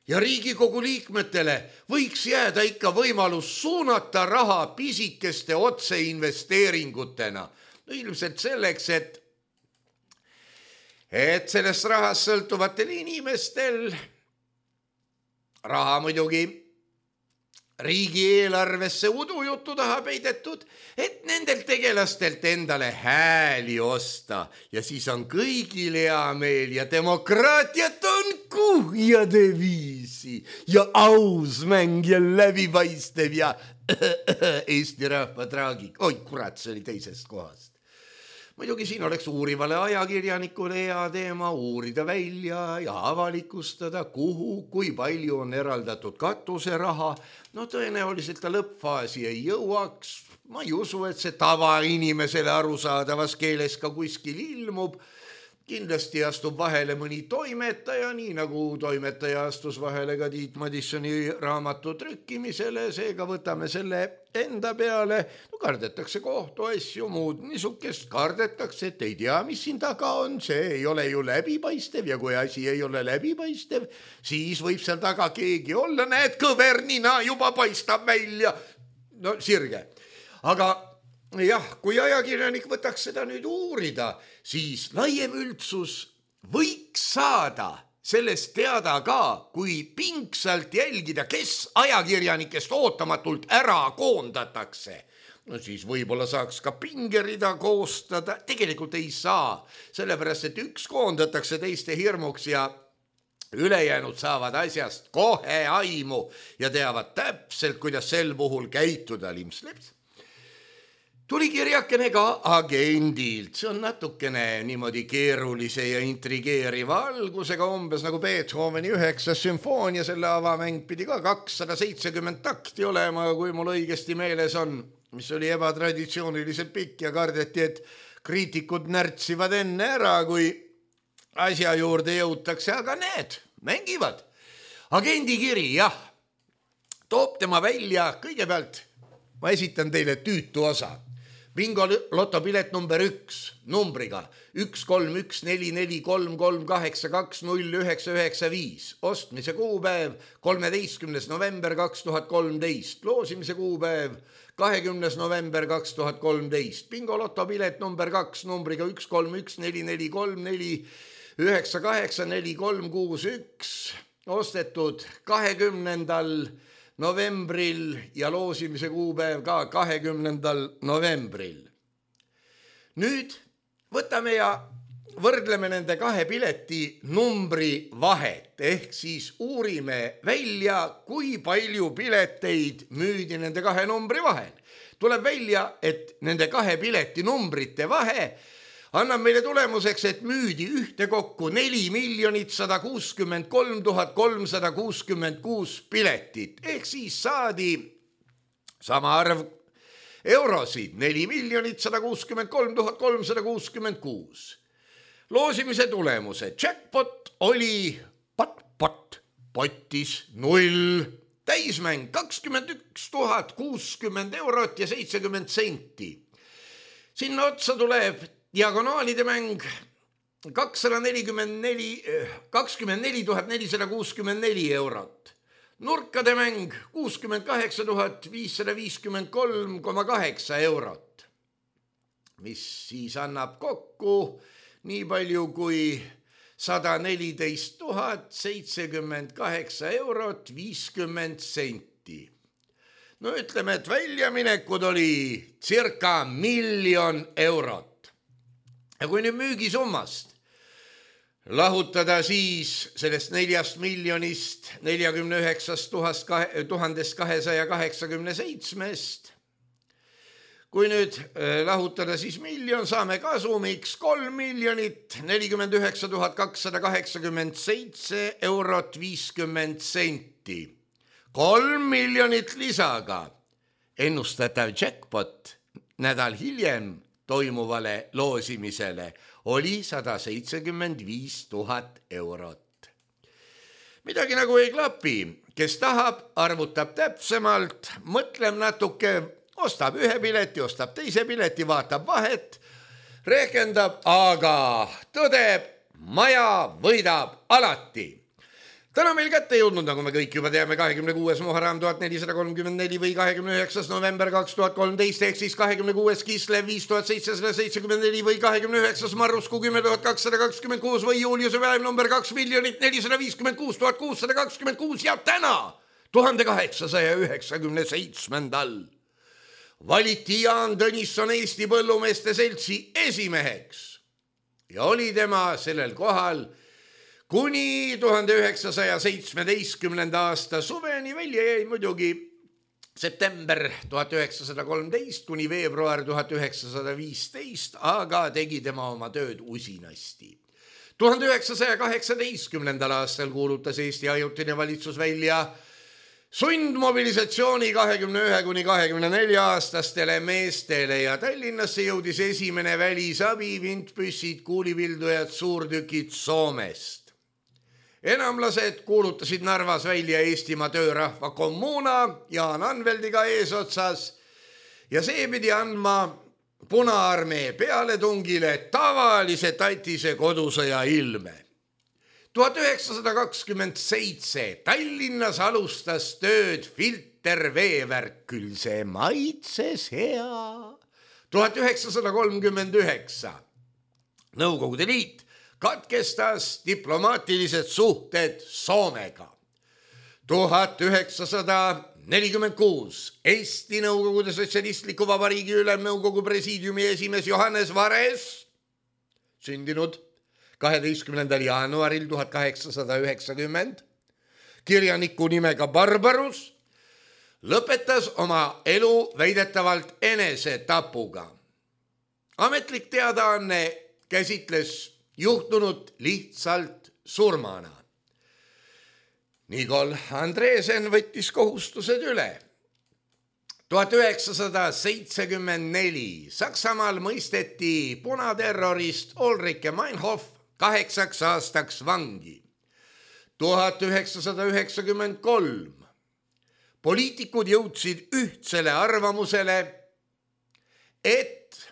Ja Riigikogu liikmetele võiks jääda ikka võimalus suunata raha pisikeste otseinvesteeringutena. No ilmselt selleks, et sellest rahast sõltuvatel inimestel raha muidugi riigieelarvesse udujuttu taha peidetud, et nendel tegelastelt endale hääli osta ja siis on kõigil hea meel ja demokraatiat on kuhjade viisi ja aus mäng ja läbipaistev ja Eesti rahva traagik. Oi kurat, see oli teisest kohast. Muidugi siin oleks uurivale ajakirjanikule hea teema uurida välja ja avalikustada, kuhu, kui palju on eraldatud katuseraha. No tõenäoliselt ta lõppfaasi ei jõuaks. Ma ei usu, et see tavainimesele arusaadavas keeles ka kuskil ilmub. Kindlasti astub vahele mõni toimetaja, nii nagu toimetaja astus vahele ka Tiit Madissoni raamatu trükkimisele, seega võtame selle enda peale. No kardetakse kohtuasju, muud niisugust kardetakse, et ei tea, mis siin taga on, see ei ole ju läbipaistev ja kui asi ei ole läbipaistev, siis võib seal taga keegi olla, näed, kõvernina juba paistab välja. No sirge. Aga jah, kui ajakirjanik võtaks seda nüüd uurida, siis laiem üldsus võiks saada sellest teada ka, kui pingsalt jälgida, kes ajakirjanikest ootamatult ära koondatakse. No siis võib-olla saaks ka pingerida koostada, tegelikult ei saa, sellepärast et üks koondatakse teiste hirmuks ja ülejäänud saavad asjast kohe aimu ja teavad täpselt, kuidas sel puhul käituda limpsleps. Tuli kirjakene ka agendilt, see on natukene niimoodi keerulise ja intrigeeriva algusega, umbes nagu Beethoveni 9. sümfoonia, selle avamäng pidi ka 270 takti olema, kui mul õigesti meeles on, mis oli ebatraditsiooniliselt pikk ja kardeti, et kriitikud närtsivad enne ära, kui asja juurde jõutakse, aga need mängivad. Agendi kiri, jah, toob tema välja kõigepealt, ma esitan teile tüütu osa. Bingo lotopilet number 1 numbriga 1-3-1-4-4-3-3-8-2-0-9-9-5. Ostmise kuupäev 13. november 2013. Loosimise kuupäev 20. november 2013. Bingo lotopilet number 2 numbriga 1-3-1-4-4-3-4-9-8-4-3-6-1. Ostetud 20. novembril ja loosimise kuupäev ka 20. novembril. Nüüd võtame ja võrdleme nende kahe pileti numbri vahet, ehk siis uurime välja, kui palju pileteid müüdi nende kahe numbri vahel. Tuleb välja, et nende kahe pileti numbrite vahe annab meile tulemuseks, et müüdi ühte kokku 4 163 366 piletit, ehk siis saadi sama arv eurosid, 4 163 366. Loosimise tulemuse jackpot oli pottis 0, täismäng 21 060 eurot ja 70 senti. Sinna otsa tuleb diagonaalide mäng 24 464 eurot. Nurkade mäng 68 553,8 eurot, mis siis annab kokku nii palju kui 114 078 eurot 50 senti. No ütleme, et väljaminekud oli circa 1 000 000 eurot. Ja kui nüüd müügisummast lahutada siis sellest 4 miljonist 49 287. Kui nüüd lahutada siis miljon, saame kasumiks 3 miljonit 49 287 eurot 50 senti. 3 miljonit lisaga ennustatav jackpot nädal hiljem toimuvale loosimisele oli 175 000 eurot. Midagi nagu ei klapi, kes tahab, arvutab täpsemalt, mõtleb natuke, ostab ühe pileti, ostab teise pileti, vaatab vahet, rehkendab, aga tõdeb, maja võidab alati. Täna meil kätte jõudnud, nagu me kõik juba teame, 26. Muharram 1434 või 29. november 2013 ehk siis 26. Kislev 5774 või 29. Marruskuu 10226 või Juliuse päev number 2 456 626 ja täna 1897. valiti Jaan Tõnisson Eesti Põllumeeste Seltsi esimeheks ja oli tema sellel kohal kuni 1917. aasta suveni, välja jäi muidugi september 1913 kuni veebruar 1915, aga tegi tema oma tööd usinasti. 1918. aastal kuulutas Eesti ajutine valitsus välja sundmobilisatsiooni 21 kuni 24 aastastele meestele ja Tallinnasse jõudis esimene välisabi, vintpüssid, kuulipildujad, suurtükid Soomest. Enamlased kuulutasid Narvas välja Eestimaa töörahva kommuuna Jaan Anveldiga eesotsas ja see pidi andma Punaarmee pealetungile tavalise tatise kodusõja ilme. 1927 Tallinnas alustas tööd filterveevärk, küll see maitses hea. 1939 Nõukogude Liit katkestas diplomaatilised suhted Soomega. 1946 Eesti Nõukogude Sotsialistliku Vabariigi Ülemnõukogu presiidiumi esimees Johannes Vares, sündinud 12. jaanuaril 1890, kirjaniku nimega Barbarus, lõpetas oma elu väidetavalt enesetapuga. Ametlik teadaanne käsitles juhtunut lihtsalt surmana. Nikol Andresen võttis kohustused üle. 1974 Saksamaal mõisteti punaterrorist Ulrike Meinhof 8 aastaks vangi. 1993 poliitikud jõudsid ühtsele arvamusele, et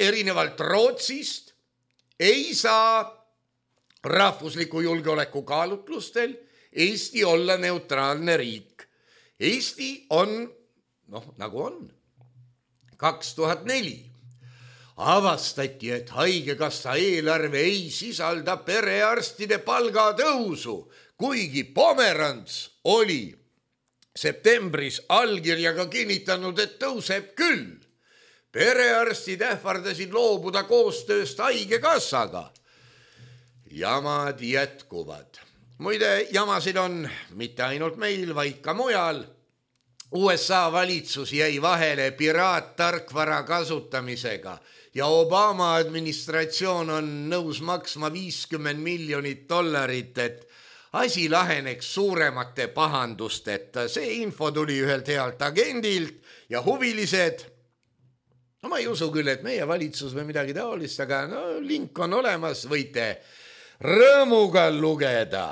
erinevalt Rootsist ei saa rahvusliku julgeoleku kaalutlustel Eesti olla neutraalne riik. Eesti on, nagu on. 2004 avastati, et haigekassa eelarve ei sisalda perearstide palgatõusu, kuigi Pomerants oli septembris allkirjaga kinnitanud, et tõuseb küll. Perearstid ähvardasid loobuda koostööst haigekassaga. Jamad jätkuvad. Muide, jamasid on mitte ainult meil, vaid ka mujal. USA valitsus jäi vahele piraattarkvara kasutamisega ja Obama administratsioon on nõus maksma $50 miljonit, et asi laheneks suuremate pahandusteta. See info tuli ühelt healt agendilt ja huvilised. Ma ei usu küll, et meie valitsus või midagi taolist, aga link on olemas, võite rõõmuga lugeda.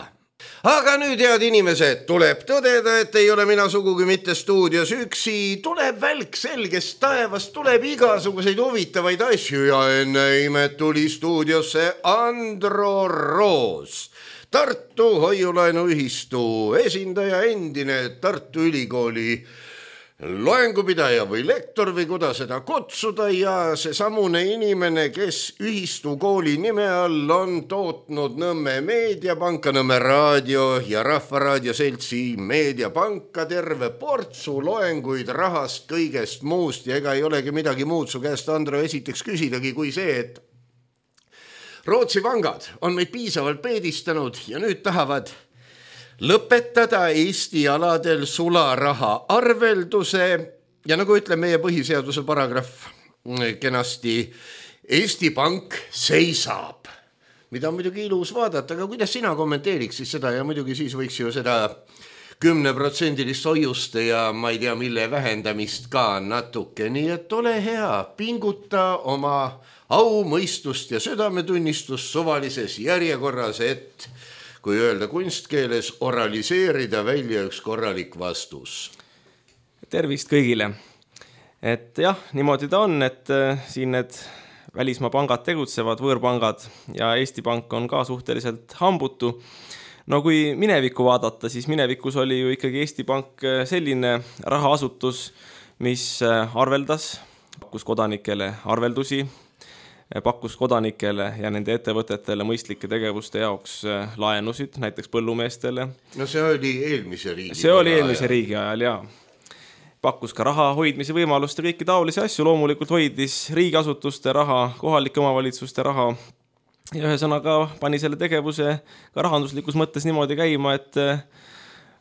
Aga nüüd, head inimesed, tuleb tõdeda, et ei ole mina sugugi mitte stuudios üksi, tuleb välk selgest taevast, tuleb igasuguseid huvitavaid asju ja enne imet tuli stuudiosse Andro Roos, Tartu Hoiulaenuühistu esindaja, endine Tartu Ülikooli loengupidaja või lektor või kuidas seda kutsuda ja see samune inimene, kes ühistu kooli nime all on tootnud Nõmme Meediapanka, Nõmme Raadio ja Rahvaraadio Seltsi Meediapanka, terve portsu loenguid rahast, kõigest muust ja ega ei olegi midagi muud su käest, Andro, esiteks küsidagi kui see, et Rootsi pangad on meid piisavalt peedistanud ja nüüd tahavad lõpetada Eesti aladel sularaha arvelduse ja nagu ütleb meie põhiseaduse paragrahv kenasti, Eesti Pank seisab, mida on muidugi ilus vaadata, aga kuidas sina kommenteeriks siis seda ja muidugi siis võiks ju seda 10% hoiuste ja ma ei tea mille vähendamist ka natuke, nii et ole hea, pinguta oma au, mõistust ja südametunnistust suvalises järjekorras, et kui öelda kunstkeeles, oraliseerida välja üks korralik vastus. Tervist kõigile! Et jah, niimoodi ta on, et siin need välismaa pangad tegutsevad, võõrpangad ja Eesti Pank on ka suhteliselt hambutu. No kui minevikku vaadata, siis minevikus oli ju ikkagi Eesti Pank selline rahaasutus, mis arveldas, pakkus kodanikele arveldusi, pakkus kodanikele ja nende ettevõtetele mõistlike tegevuste jaoks laenusid, näiteks põllumeestele. No see oli eelmise riigi. See oli eelmise riigi ajal, jaa. Pakkus ka raha hoidmise võimalust ja kõiki taolisi asju, loomulikult hoidis riigiasutuste raha, kohalike omavalitsuste raha ja ühesõnaga pani selle tegevuse ka rahanduslikus mõttes niimoodi käima, et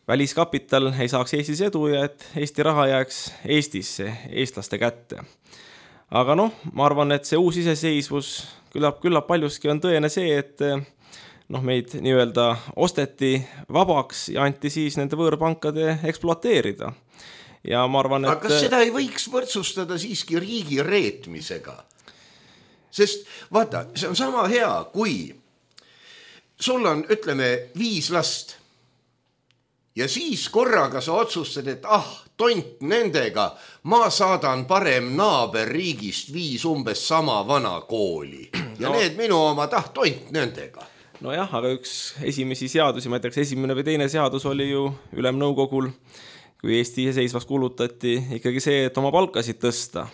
väliskapital ei saaks Eestis edu ja et Eesti raha jääks Eestisse, eestlaste kätte. Aga ma arvan, et see uus iseseisvus küllap paljuski on tõene see, et meid nii-öelda osteti vabaks ja anti siis nende võõrpankade ekspluateerida. Ja ma arvan, et... Aga kas seda ei võiks võrdsustada siiski riigi reetmisega? Sest vaata, see on sama hea, kui sul on, ütleme, 5 last ja siis korraga sa otsustad, et tont nendega, ma saadan parem naaberriigist 5 umbes sama vana kooli ja need minu oma tont nendega. No jah, aga üks esimesi seadusi, ma ütleks esimene või teine seadus oli ju Ülemnõukogul, kui Eesti iseseisvaks kuulutati ikkagi see, et oma palkasid tõsta.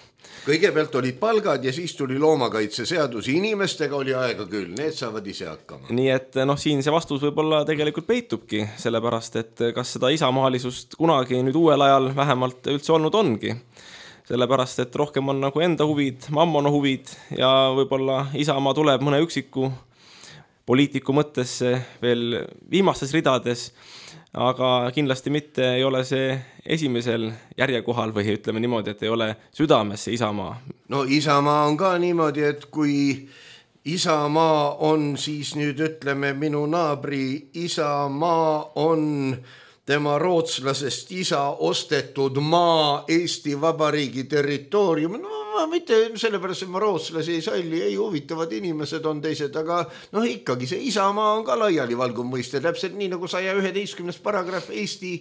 Kõigepealt olid palgad ja siis tuli loomakaitseseadus. Inimestega oli aega küll, need saavad ise hakkama. Nii et siin see vastus võib-olla tegelikult peitubki, sellepärast, et kas seda isamaalisust kunagi nüüd uuel ajal vähemalt üldse olnud ongi. Sellepärast, et rohkem on nagu enda huvid, mammona huvid ja võib-olla Isamaa tuleb mõne üksiku poliitiku mõttesse veel viimastes ridades, aga kindlasti mitte ei ole see esimesel järjekohal või ütleme niimoodi, et ei ole südames see Isamaa. No Isamaa on ka niimoodi, et kui Isamaa on siis nüüd ütleme minu naabri Isamaa on tema rootslasest isa ostetud maa Eesti Vabariigi territoorium, mitte sellepärast, et ma rootslasi ei salli, ei huvitavad inimesed on teised, aga ikkagi see Isamaa on ka laiali valguv mõiste, täpselt nii nagu 111. paragrahv Eesti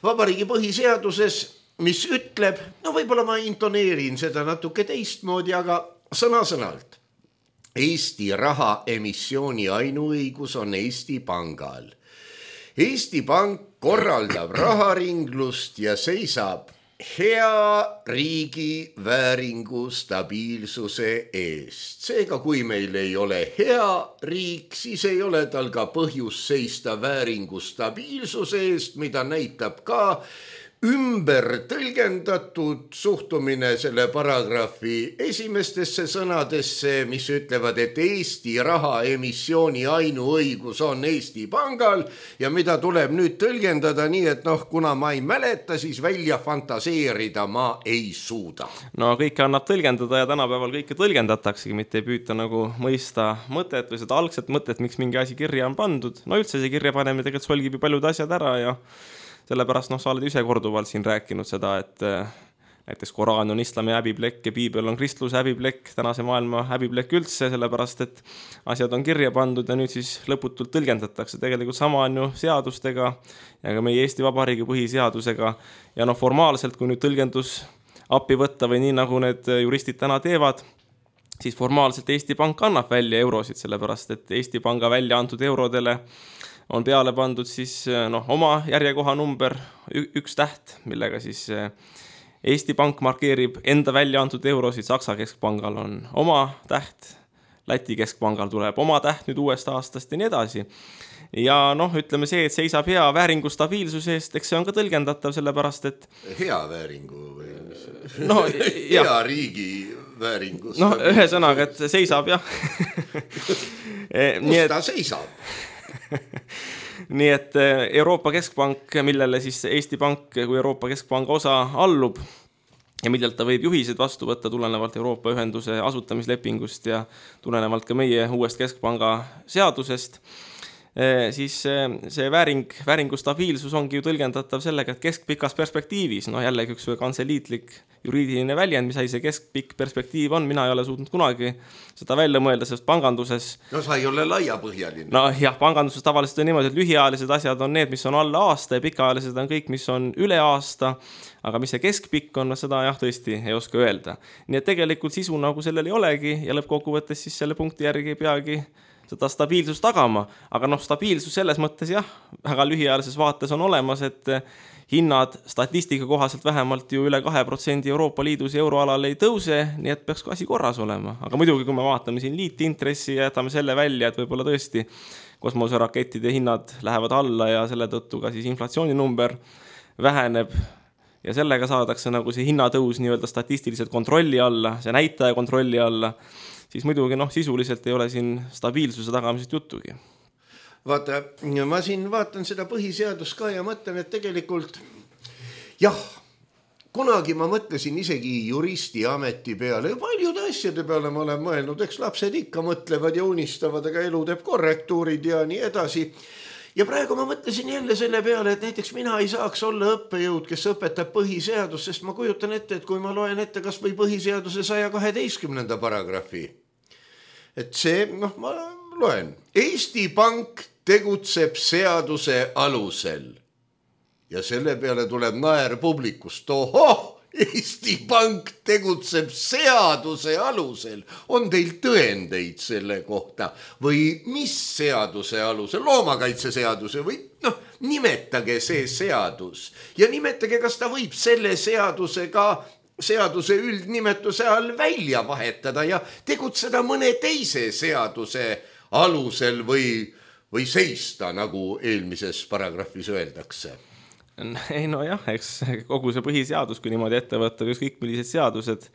Vabariigi põhiseaduses, mis ütleb, võib-olla ma intoneerin seda natuke teistmoodi, aga sõna-sõnalt. Eesti raha emissiooni ainuõigus on Eesti Pangal. Eesti Pank korraldab raharinglust ja seisab hea riigi vääringu stabiilsuse eest. Seega, kui meil ei ole hea riik, siis ei ole tal ka põhjus seista vääringu stabiilsuse eest, mida näitab ka ümber tõlgendatud suhtumine selle paragrahvi esimestesse sõnadesse, mis ütlevad, et Eesti raha emissiooni ainuõigus on Eesti Pangal ja mida tuleb nüüd tõlgendada nii, et kuna ma ei mäleta, siis välja fantaseerida ma ei suuda. No kõike annab tõlgendada ja tänapäeval kõike tõlgendataksegi, mitte ei püüta nagu mõista mõtet või seda algset mõtet, miks mingi asi kirja on pandud. No üldse see kirja panemine tegelikult solgib ju paljud asjad ära ja sellepärast sa oled ise korduvalt siin rääkinud seda, et näiteks Koraan on islami häbiplekk ja piibel on kristluse häbiplekk, tänase maailma häbiplekk üldse, sellepärast et asjad on kirja pandud ja nüüd siis lõputult tõlgendatakse. Tegelikult sama on ju seadustega ja ka meie Eesti Vabariigi põhiseadusega ja formaalselt, kui nüüd tõlgendus appi võtta või nii nagu need juristid täna teevad, siis formaalselt Eesti Pank annab välja eurosid, sellepärast et Eesti Panga välja antud eurodele on peale pandud siis oma järjekoha number 1 täht, millega siis Eesti Pank markeerib enda välja antud eurosid, Saksa keskpangal on oma täht, Läti keskpangal tuleb oma täht nüüd uuest aastast ja nii edasi. ja noh, ütleme see, et seisab hea vääringu stabiilsuse eest, eks see on ka tõlgendatav, sellepärast et hea vääringu või no, hea riigi vääringu no ühesõnaga, et seisab jah kus ta seisab? Nii et Euroopa Keskpank, millele siis Eesti Pank kui Euroopa Keskpanga osa allub ja millelt ta võib juhised vastu võtta tulenevalt Euroopa Ühenduse asutamislepingust ja tulenevalt ka meie uuest Keskpanga seadusest, siis see vääringu stabiilsus ongi ju tõlgendatav sellega, et keskpikas perspektiivis, no jällegi üks kantseliitlik juriidiline väljend, mis see keskpikk perspektiiv on, mina ei ole suutnud kunagi seda välja mõelda, sest panganduses no sa ei ole laiapõhjaline. No jah, panganduses tavaliselt on niimoodi, et lühiajalised asjad on need, mis on alla aasta ja pikaajalised on kõik, mis on üle aasta, aga mis see keskpikk on, seda jah, tõesti ei oska öelda. Nii et tegelikult sisu nagu sellel ei olegi ja lõppkokkuvõttes siis selle punkti järgi ei peagi seda stabiilsust tagama, aga noh, stabiilsus selles mõttes jah, väga lühiajalises vaates on olemas, et hinnad statistika kohaselt vähemalt ju üle 2% Euroopa Liidus ja euroalal ei tõuse, nii et peaks ka asi korras olema. Aga muidugi, kui me vaatame siin liitintressi ja jätame selle välja, et võib-olla tõesti kosmoserakettide hinnad lähevad alla ja selle tõttu ka siis inflatsiooninumber väheneb ja sellega saadakse nagu see hinnatõus nii-öelda statistiliselt kontrolli alla, see näitaja kontrolli alla, siis muidugi noh, sisuliselt ei ole siin stabiilsuse tagamisest juttugi. Vaata, ma siin vaatan seda põhiseadust ka ja mõtlen, et tegelikult jah, kunagi ma mõtlesin isegi juristi ameti peale ja paljude asjade peale ma olen mõelnud, eks lapsed ikka mõtlevad ja unistavad, aga elu teeb korrektuurid ja nii edasi. Ja praegu ma mõtlesin jälle selle peale, et näiteks mina ei saaks olla õppejõud, kes õpetab põhiseadust, sest ma kujutan ette, et kui ma loen ette kas või põhiseaduse 112. paragrahvi, et see, noh, ma loen, Eesti Pank tegutseb seaduse alusel ja selle peale tuleb naer publikust, ohoh, Eesti Pank tegutseb seaduse alusel. On teil tõendeid selle kohta või mis seaduse alusel? Loomakaitseseaduse või noh, nimetage see seadus ja nimetage, kas ta võib selle seaduse üldnimetuse all välja vahetada ja tegutseda mõne teise seaduse alusel või seista, nagu eelmises paragrahvis öeldakse. Ei no jah, eks kogu see põhiseadus, kui niimoodi ette võtta, kõik millised seadused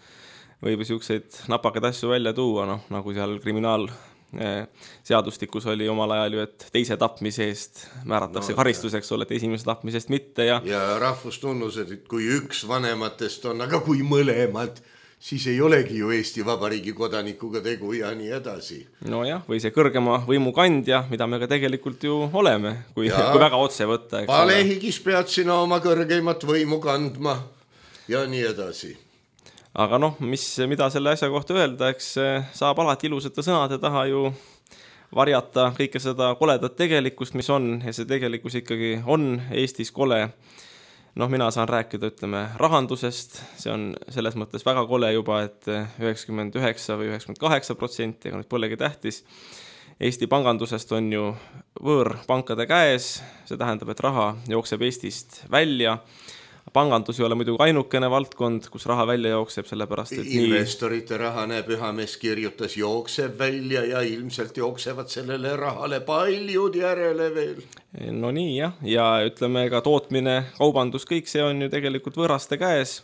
võib siukseid napakaid asju välja tuua, noh, nagu seal kriminaalseadustikus oli omal ajal ju, et teise tapmise eest määratakse karistuseks, et esimese tapmisest mitte. Ja rahvustunnused, et kui üks vanematest on, aga kui mõlemad, siis ei olegi ju Eesti Vabariigi kodanikuga tegu ja nii edasi. No jah, või see kõrgema võimu kandja, mida me ka tegelikult ju oleme, kui väga otse võtta. Palehigis pead sina oma kõrgeimat võimu kandma ja nii edasi. Aga noh, mida selle asja kohta öelda, eks saab alati ilusate sõnade taha ju varjata kõike seda koledat tegelikkust, mis on, ja see tegelikkus ikkagi on Eestis kole. Noh, mina saan rääkida, ütleme, rahandusest, see on selles mõttes väga kole juba, et 99 või 98%, aga nüüd polegi tähtis. Eesti pangandusest on ju võõrpankade käes, see tähendab, et raha jookseb Eestist välja. Pangandus ei ole muidugi ainukene valdkond, kus raha välja jookseb, sellepärast, et investorite raha, näeb Ühamees kirjutas, jookseb välja ja ilmselt jooksevad sellele rahale paljud järele veel. No nii jah, ja ütleme ka tootmine, kaubandus, kõik see on ju tegelikult võõraste käes.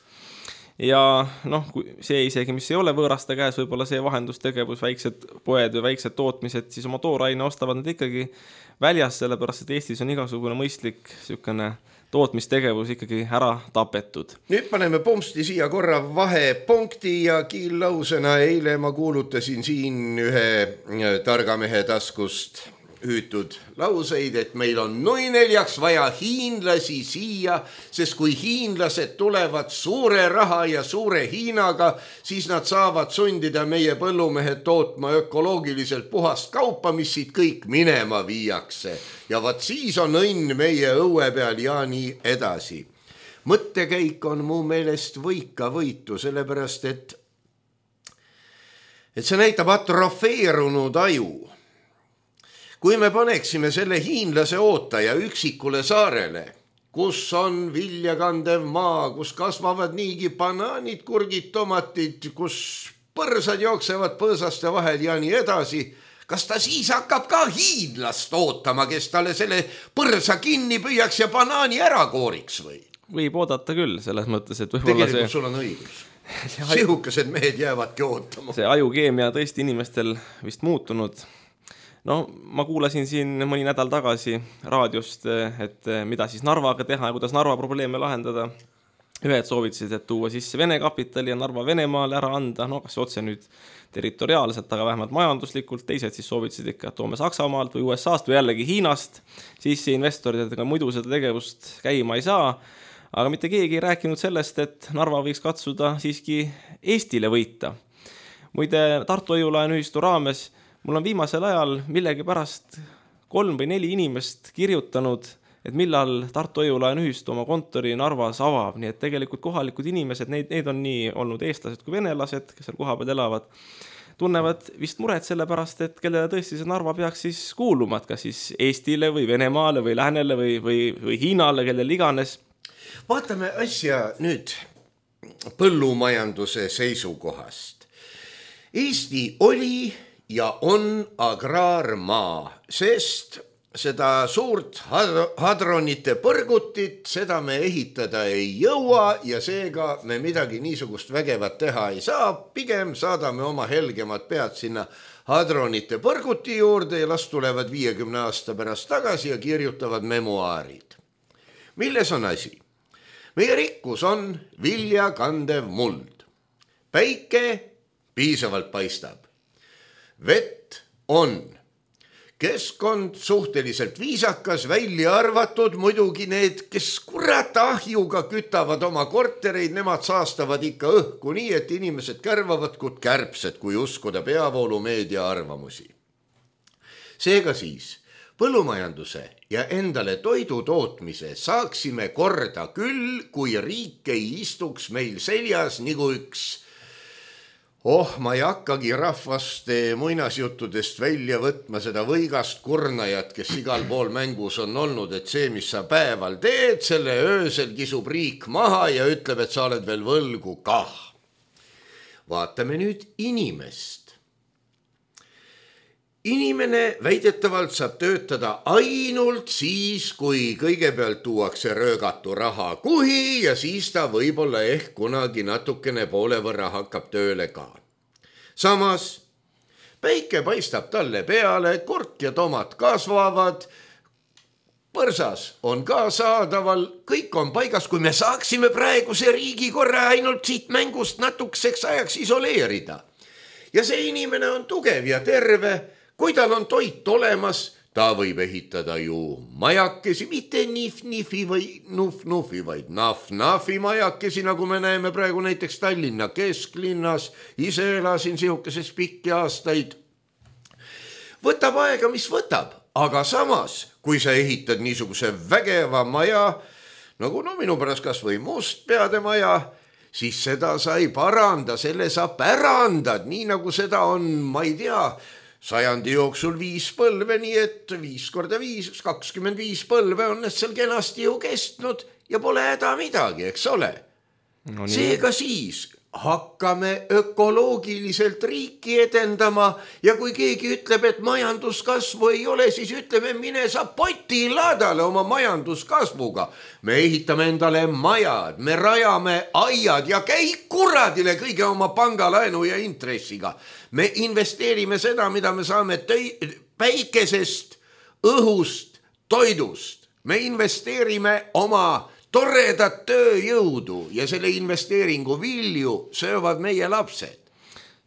Ja noh, see isegi, mis ei ole võõraste käes, võib-olla see vahendustegevus, väiksed poed või väiksed tootmised, siis oma tooraine ostavad nad ikkagi väljas, sellepärast, et Eestis on igasugune mõistlik sükene tootmistegevus ikkagi ära tapetud. Nüüd paneme pomsti siia korra vahepunkti ja kiillausena eile ma kuulutasin siin ühe targa mehe taskust hüütud lauseid, et meil on nui neljaks vaja hiinlasi siia, sest kui hiinlased tulevad suure raha ja suure Hiinaga, siis nad saavad sundida meie põllumehed tootma ökoloogiliselt puhast kaupa, mis siit kõik minema viiakse. Ja vaat siis on õnn meie õue peal ja nii edasi. Mõttekäik on mu meelest võika võitu, sellepärast et see näitab atrofeerunud aju. Kui me paneksime selle hiinlase ootaja üksikule saarele, kus on viljakandev maa, kus kasvavad niigi banaanid, kurgid, tomatid, kus põrsad jooksevad põõsaste vahel ja nii edasi, kas ta siis hakkab ka hiidlast ootama, kes talle selle põrsa kinni püüaks ja banaani ära kooriks või? Võib oodata küll, selles mõttes, et võib-olla tegelikult sul on õigus. Sihukesed mehed jäävadki ootama. See ajukeemia tõesti inimestel vist muutunud. No, ma kuulasin siin mõni nädal tagasi raadiost, et mida siis Narvaga teha ja kuidas Narva probleeme lahendada. Ühed soovitasid, et tuua sisse Vene kapitali ja Narva Venemaale ära anda, no kas otse nüüd territoriaalselt, aga vähemalt majanduslikult, teised siis soovitasid ikka, et toome Saksamaalt või USA-st või jällegi Hiinast, siis investorid, et muidu seda tegevust käima ei saa, aga mitte keegi ei rääkinud sellest, et Narva võiks katsuda siiski Eestile võita. Muide, Tartu Hoiu-laenuühistu raames mul on viimasel ajal millegi pärast 3 või 4 inimest kirjutanud, et millal Tartu Hoiu-laenuühistu oma kontori Narvas avab, nii et tegelikult kohalikud inimesed, neid on nii olnud eestlased kui venelased, kes seal kohapeal elavad, tunnevad vist muret selle pärast, et kellele tõesti see Narva peaks siis kuuluma, et kas siis Eestile või Venemaale või Läänele või Hiinale, kellel iganes. Vaatame asja nüüd põllumajanduse seisukohast. Eesti oli ja on agraarmaa, sest seda suurt hadronite põrgutit, seda me ehitada ei jõua ja seega me midagi niisugust vägevat teha ei saa. Pigem saadame oma helgemad pead sinna hadronite põrguti juurde ja las tulevad 50 aasta pärast tagasi ja kirjutavad memuaarid. Milles on asi? Meie rikkus on viljakandev muld. Päike piisavalt paistab. Vett on. Keskkond suhteliselt viisakas, välja arvatud muidugi need, kes kurat ahjuga kütavad oma kortereid, nemad saastavad ikka õhku nii, et inimesed kärvavad kui kärbsed, kui uskuda peavoolumeedia arvamusi. Seega siis põllumajanduse ja endale toidu tootmise saaksime korda küll, kui riik ei istuks meil seljas nagu üks ma ei hakkagi rahvaste muinasjuttudest välja võtma seda võigast kurnajat, kes igal pool mängus on olnud, et see, mis sa päeval teed, selle öösel kisub riik maha ja ütleb, et sa oled veel võlgu kah. Vaatame nüüd inimest. Inimene väidetavalt saab töötada ainult siis, kui kõigepealt tuuakse röögatu raha kuhi ja siis ta võib-olla ehk kunagi natukene poole võrra hakkab tööle ka. Samas, päike paistab talle peale, kurt ja tomat kasvavad, põrsas on ka saadaval, kõik on paigas, kui me saaksime praeguse riigi korra ainult siit mängust natukeseks ajaks isoleerida. Ja see inimene on tugev ja terve. Kui tal on toit olemas, ta võib ehitada ju majakesi, mitte nif-nifi või nuf-nufi, vaid naf-nafi majakesi, nagu me näeme praegu näiteks Tallinna kesklinnas. Ise elasin sihukeses pikki aastaid. Võtab aega, mis võtab, aga samas, kui sa ehitad niisuguse vägeva maja, nagu minu pärast kas või mustpeade maja, siis seda sa ei paranda, selle sa pärandad, nii nagu seda on, ma ei tea, sajandi jooksul 5 põlve, nii et 5 korda 5, 25 põlve on need seal kenasti ju kestnud ja pole häda midagi, eks ole. No, seega siis hakkame ökoloogiliselt riiki edendama ja kui keegi ütleb, et majanduskasvu ei ole, siis ütleme, mine sa potilaadale oma majanduskasvuga. Me ehitame endale majad, me rajame aiad ja käi kuradile kõige oma pangalaenu ja intressiga. Me investeerime seda, mida me saame päikesest, õhust, toidust. Me investeerime oma toredat tööjõudu ja selle investeeringu vilju söövad meie lapsed.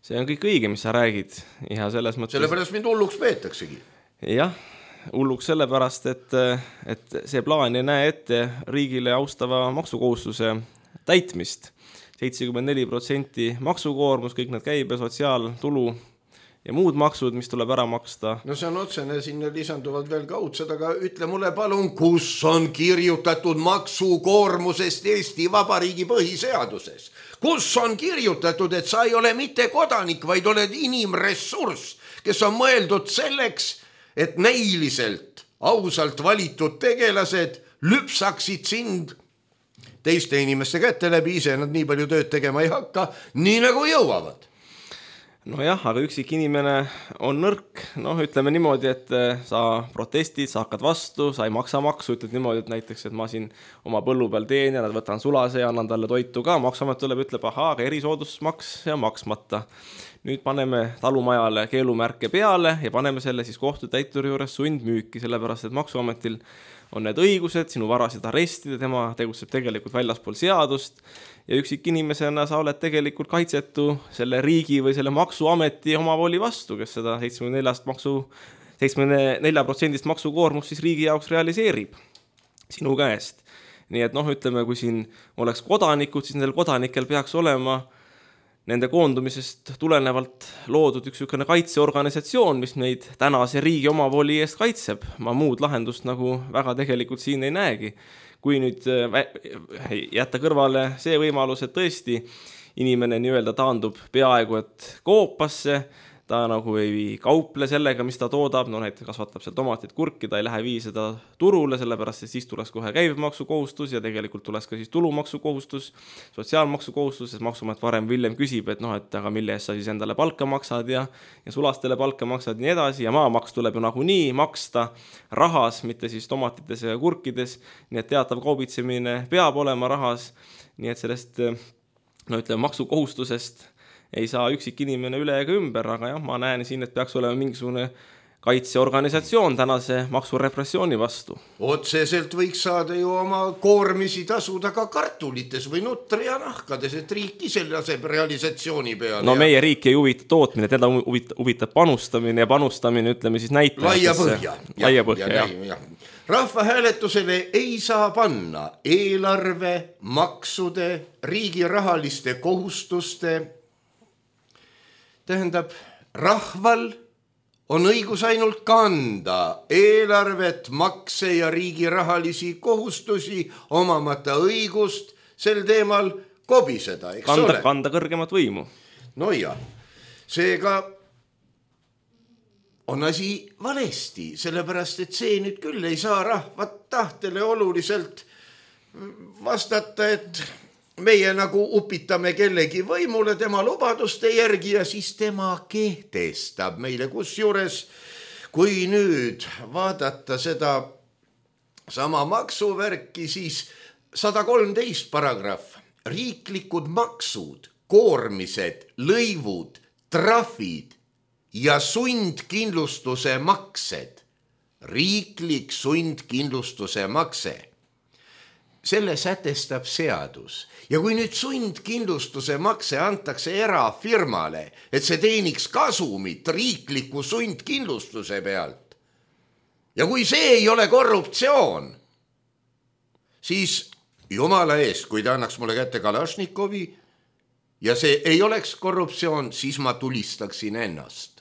See on kõik õige, mis sa räägid. Ja selles mõttes... Sellepärast mind hulluks peetaksegi. Jah, hulluks sellepärast, et see plaan ei näe ette riigile austava maksukohustuse täitmist. 74% maksukoormus, kõik need käibe, sotsiaaltulu ja muud maksud, mis tuleb ära maksta. No see on otsene, sinna lisanduvad veel kaudsed, aga ütle mulle palun, kus on kirjutatud maksukoormusest Eesti Vabariigi põhiseaduses? Kus on kirjutatud, et sa ei ole mitte kodanik, vaid oled inimressurss, kes on mõeldud selleks, et näiliselt, ausalt valitud tegelased lüpsaksid sind teiste inimeste kätte läbi, ise nad nii palju tööd tegema ei hakka, nii nagu jõuavad. Nojah, aga üksik inimene on nõrk, ütleme niimoodi, et sa protestid, sa hakkad vastu, sa ei maksa maksu, ütled niimoodi, et näiteks, et ma siin oma põllu peal teen ja võtan sulase ja annan talle toitu ka, maksuamet tuleb, ütleb, aga erisoodustusmaks ja maksmata. Nüüd paneme talumajale keelumärke peale ja paneme selle siis kohtutäituri juures sundmüüki, sellepärast et maksuametil on need õigused sinu varasid arestida, tema tegutseb tegelikult väljaspool seadust ja üksik inimesena sa oled tegelikult kaitsetu selle riigi või selle maksuameti omavoli vastu, kes seda 74% maksukoormust siis riigi jaoks realiseerib sinu käest. Nii et ütleme, kui siin oleks kodanikud, siis nendel kodanikel peaks olema nende koondumisest tulenevalt loodud üks kaitseorganisatsioon, mis neid tänase riigi omavoli eest kaitseb. Ma muud lahendust nagu väga tegelikult siin ei näegi. Kui nüüd jätta kõrvale see võimalus, et tõesti inimene nii-öelda taandub peaaegu et koopasse, ta nagu ei kauple sellega, mis ta toodab, näiteks kasvatab seal tomatit, kurki, ta ei lähe vii seda turule, sellepärast et siis tuleks kohe käibemaksukohustus ja tegelikult tuleks ka siis tulumaksukohustus, sotsiaalmaksukohustus, sest maksuamet varem või hiljem küsib, et aga mille eest sa siis endale palka maksad ja sulastele palka maksad ja nii edasi ja maamaks tuleb ju nagunii maksta rahas, mitte siis tomatites ja kurkides, nii et teatav kaubitsemine peab olema rahas, nii et sellest maksukohustusest ei saa üksik inimene üle ega ümber, aga jah, ma näen siin, et peaks olema mingisugune kaitseorganisatsioon tänase maksurepressiooni vastu. Otseselt võiks saada ju oma koormisi tasuda ka kartulites või nutri ja nahkades, et riik ise laseb realisatsiooni peale. Meie riik ei huvita tootmine, teda huvitab panustamine ja panustamine, ütleme siis näitajatesse. Laia põhja, jah. Rahvahääletusele ei saa panna eelarve, maksude, riigi rahaliste kohustuste. Tähendab, rahval on õigus ainult kanda eelarvet, makse ja riigi rahalisi kohustusi, omamata õigust sel teemal kobiseda, eks ole? Kanda kõrgemat võimu. No ja, seega on asi valesti, sellepärast, et see nüüd küll ei saa rahvat tahtele oluliselt vastata, et meie nagu upitame kellegi võimule tema lubaduste järgi ja siis tema kehtestab meile, kusjuures kui nüüd vaadata seda sama maksuvärki, siis 113 paragrahv, riiklikud maksud, koormised, lõivud, trahvid ja sundkindlustuse maksed, riiklik sundkindlustuse makse. Selle sätestab seadus. Ja kui nüüd sundkindlustuse makse antakse erafirmale, et see teeniks kasumit riikliku sundkindlustuse pealt, ja kui see ei ole korruptsioon, siis jumala eest, kui ta annaks mulle kätte Kalašnikovi ja see ei oleks korruptsioon, siis ma tulistaksin ennast.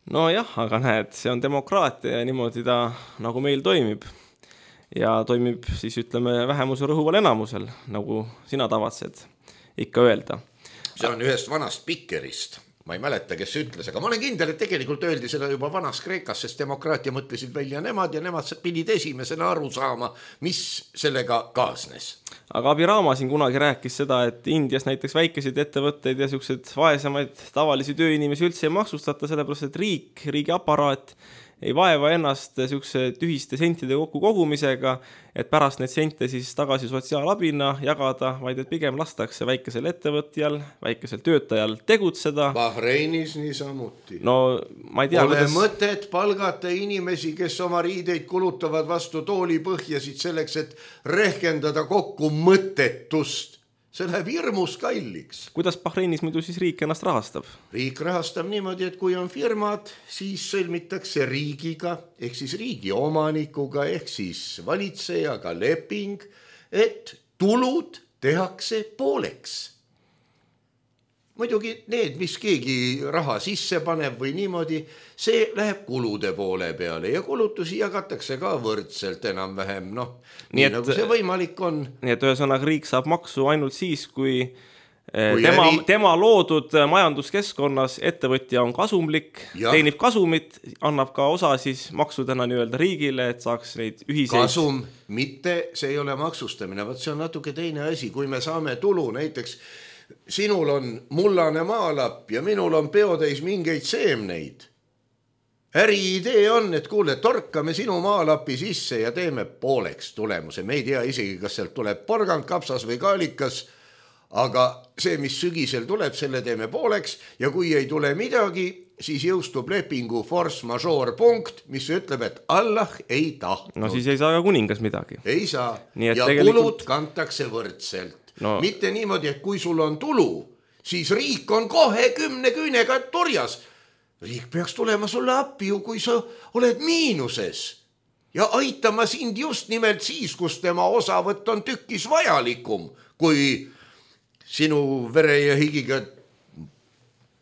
Nojah, aga näed, see on demokraatia ja niimoodi ta nagu meil toimib. Ja toimib siis ütleme vähemuse rõhuval enamusel, nagu sina tavatsed ikka öelda. See on ühest vanast Pikerist, ma ei mäleta, kes ütles, aga ma olen kindel, et tegelikult öeldi seda juba vanas Kreekas, sest demokraatia mõtlesid välja nemad ja nemad pidid esimesena aru saama, mis sellega kaasnes. Aga Abirama siin kunagi rääkis seda, et Indias näiteks väikeseid ettevõtteid ja sellised vaesemaid tavalisi tööinimesi üldse ei maksustata, sellepärast et riigi aparaat ei vaeva ennast selline tühiste sentide kokku kogumisega, et pärast neid sente siis tagasi sotsiaalabina jagada, vaid et pigem lastakse väikesel ettevõtjal, väikesel töötajal tegutseda. Bahreinis niisamuti. No ma ei tea, Pole mõtet palgata inimesi, kes oma riideid kulutavad vastu toolipõhjasid selleks, et rehkendada kokku mõttetust. See läheb hirmus kalliks. Kuidas Bahreinis muidu siis riik ennast rahastab? Riik rahastab niimoodi, et kui on firmad, siis sõlmitakse riigiga, ehk siis riigi omanikuga, ehk siis valitsejaga leping, et tulud tehakse pooleks. Muidugi need, mis keegi raha sisse paneb või niimoodi, see läheb kulude poole peale ja kulutusi jagatakse ka võrdselt enam-vähem, nii nagu see võimalik on. Nii et ühesõnaga riik saab maksu ainult siis, kui tema loodud majanduskeskkonnas ettevõtja on kasumlik, teenib kasumit, annab ka osa siis maksudena nii-öelda riigile, et saaks neid ühiseid. Kasum, mitte see ei ole maksustamine, vaat see on natuke teine asi, kui me saame tulu näiteks sinul on mullane maalapp ja minul on peotäis mingeid seemneid. Äriidee on, et kuule, torkame sinu maalapi sisse ja teeme pooleks tulemuse. Me ei tea isegi, kas sealt tuleb porgand, kapsas või kaalikas, aga see, mis sügisel tuleb, selle teeme pooleks ja kui ei tule midagi, siis jõustub lepingu force majeure punkt, mis ütleb, et Allah ei tahtnud. No siis ei saa ka kuningas midagi. Ei saa. Nii, ja tegelikult... kulud kantakse võrdselt. No. Mitte niimoodi, et kui sul on tulu, siis riik on kohe 10 küünega turjas. Riik peaks tulema sulle appi ju, kui sa oled miinuses ja aitama sind just nimelt siis, kus tema osavõtt on tükkis vajalikum, kui sinu vere ja higiga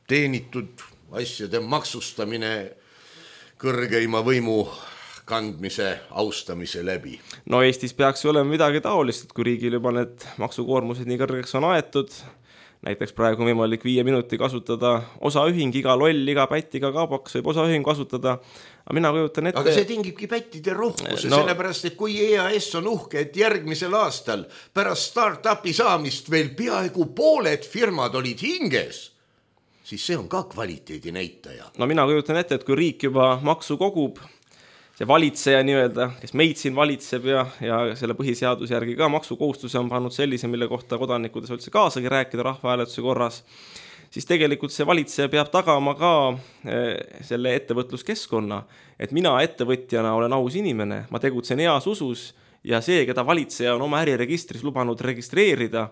teenitud asjade maksustamine kõrgeima võimu kandmise, austamise läbi. No Eestis peaks ju olema midagi taolist, et kui riigil juba need maksukoormused nii kõrgeks on aetud, näiteks praegu on võimalik 5 minuti kasutada osaühing, iga loll, iga pätt, iga kaabaks võib osaühing kasutada, aga mina kujutan ette... Aga see tingibki pättide rohkuse, sellepärast, et kui EAS on uhke, et järgmisel aastal pärast start-upi saamist veel peaaegu pooled firmad olid hinges, siis see on ka kvaliteedi näitaja. No mina kujutan ette, et kui riik juba maksu kogub, see valitseja nii-öelda, kes meid siin valitseb ja selle põhiseaduse järgi ka maksukohustuse on pannud sellise, mille kohta kodanikud ei saa üldse kaasagi rääkida rahvahääletuse korras, siis tegelikult see valitseja peab tagama ka selle ettevõtluskeskkonna, et mina ettevõtjana olen aus inimene, ma tegutsen heas usus ja see, keda valitseja on oma äriregistris lubanud registreerida,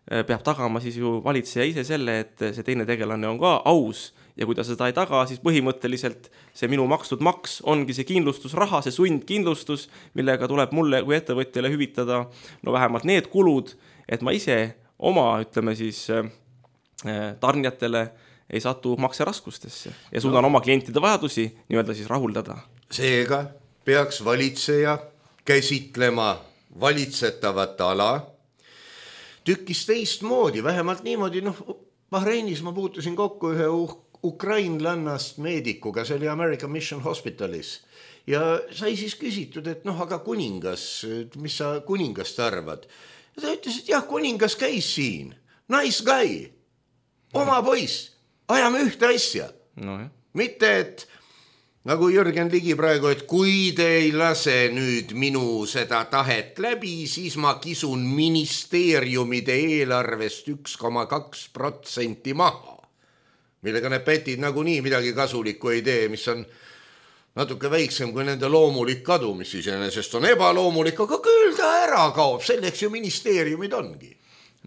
peab tagama siis ju valitseja ise selle, et see teine tegelane on ka aus ja kui ta seda ei taga, siis põhimõtteliselt see minu makstud maks ongi see kindlustusraha, see sundkindlustus, millega tuleb mulle kui ettevõtjale hüvitada no vähemalt need kulud, et ma ise oma, ütleme siis, tarnijatele ei satu makseraskustesse ja suudan oma klientide vajadusi nii-öelda siis rahuldada. Seega peaks valitseja käsitlema valitsetavat ala tükkis teistmoodi, vähemalt niimoodi, Bahreinis ma puutusin kokku ühe ukrainlannast meedikuga, see oli American Mission Hospitalis ja sai siis küsitud, et aga kuningas, mis sa kuningast arvad? Ja ta ütles, et jah, kuningas käis siin, nice guy, oma poiss, ajame ühte asja. No, mitte, et nagu Jürgen Ligi praegu, et kui te ei lase nüüd minu seda tahet läbi, siis ma kisun ministeeriumide eelarvest 1,2% maha, millega need pätid nagunii midagi kasulikku ei tee, mis on natuke väiksem kui nende loomulik kadu, mis iseenesest on ebaloomulik, aga küll ta ära kaob, selleks ju ministeeriumid ongi.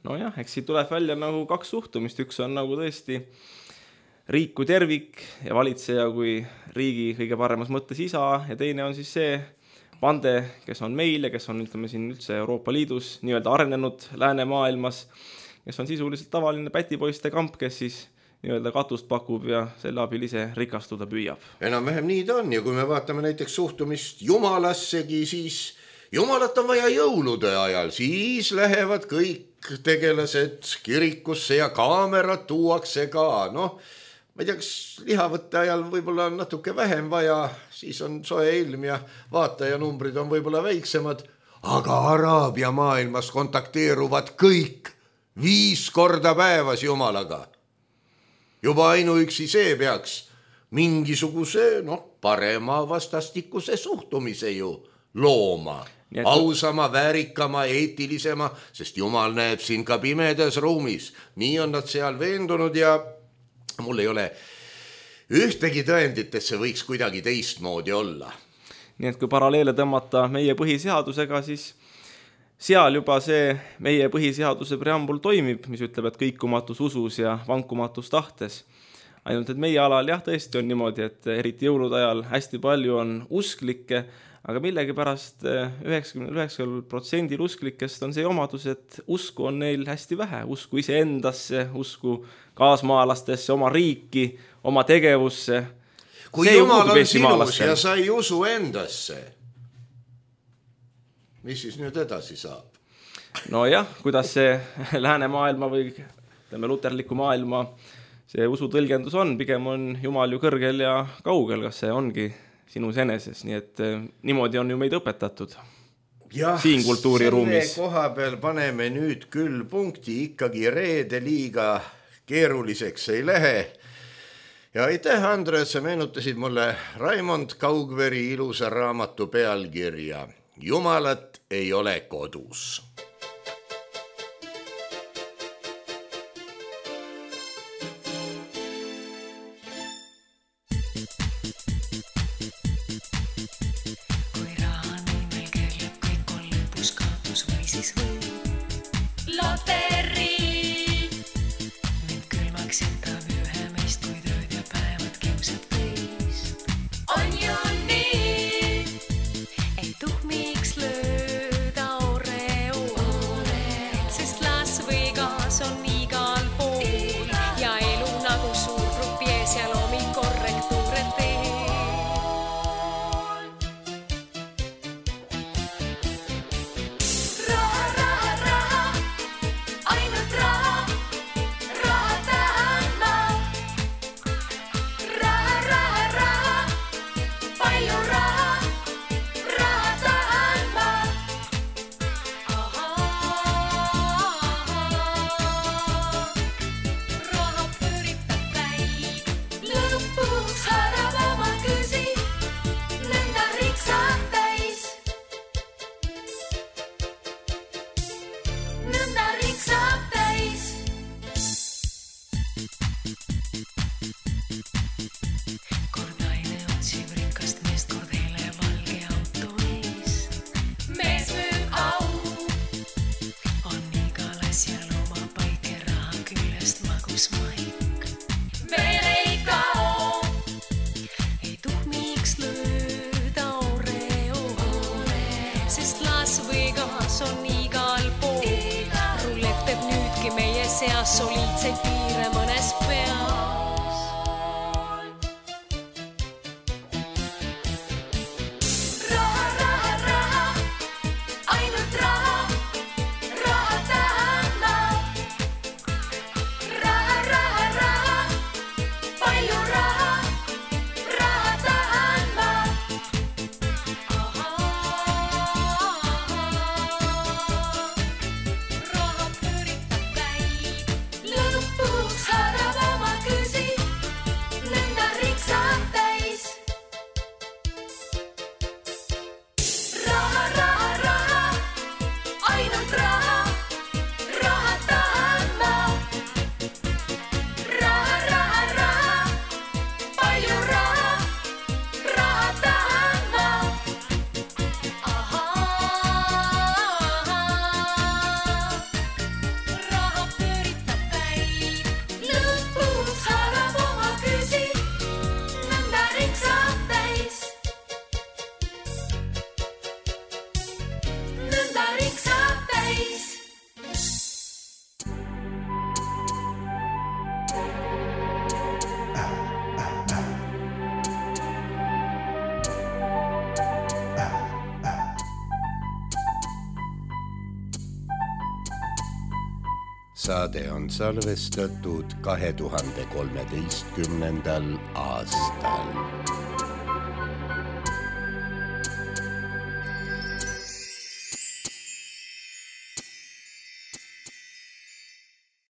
Nojah, eks siit tuleb välja nagu 2 suhtumist, üks on nagu tõesti riik kui tervik ja valitseja kui riigi kõige paremas mõttes isa ja teine on siis see pande, kes on meil ja kes on ütleme siin üldse Euroopa Liidus nii-öelda arenenud läänemaailmas, kes on sisuliselt tavaline pätipoiste kamp, kes siis nii-öelda katust pakub ja selle abil ise rikastuda püüab. Enam-vähem nii ta on ja kui me vaatame näiteks suhtumist jumalassegi, siis jumalat on vaja jõulude ajal, siis lähevad kõik tegelased kirikusse ja kaamerad tuuakse ka, ma ei tea, kas lihavõtte ajal võib-olla on natuke vähem vaja, siis on soe ilm ja vaatajanumbrid on võib-olla väiksemad, aga Araabia maailmas kontakteeruvad kõik 5 korda päevas jumalaga. Juba ainuüksi see peaks mingisuguse parema vastastikuse suhtumise ju looma. Ausama, väärikama, eetilisema, sest Jumal näeb siin ka pimedas ruumis. Nii on nad seal veendunud ja mul ei ole ühtegi tõendit, et see võiks kuidagi teistmoodi olla. Nii et kui paralleele tõmmata meie põhiseadusega, siis seal juba see meie põhiseaduse preambul toimib, mis ütleb, et kõikumatus usus ja vankumatus tahtes. Ainult, et meie alal jah, tõesti on niimoodi, et eriti jõulude ajal hästi palju on usklikke, aga millegipärast 99% usklikest on see omadus, et usku on neil hästi vähe, usku iseendasse, usku kaasmaalastesse, oma riiki, oma tegevusse. Kui Jumal on sinus ja sa ei usu endasse, mis siis nüüd edasi saab? No jah, kuidas see läänemaailma või luterliku maailma see usutõlgendus on, pigem on Jumal ju kõrgel ja kaugel, kas see ongi sinus eneses, nii et niimoodi on ju meid õpetatud. siin kultuuriruumis. Selle koha peal paneme nüüd küll punkti, ikkagi reede liiga keeruliseks ei lähe. Ja aitäh, Andres, sa meenutasid mulle Raimond Kaugveri ilusa raamatu pealkirja Jumalat ei ole kodus. Soliidseid piire mõnes peas. Raha, raha, raha, ainult raha, raha tahan ma. Raha, raha, raha, palju raha, raha tahan ma. Raha pööritab käib. Lõpuks harab oma küsi, nõnda riksab täis. Raha, raha, raha, ainult raha, raha tahan ma. Raha, raha, raha, palju raha, raha tahan ma. Raha pööritab käib, lõpuks harab oma küsi, nõnda riksab täis. Nõnda riksab täis. Saade on salvestatud 2013. aastal.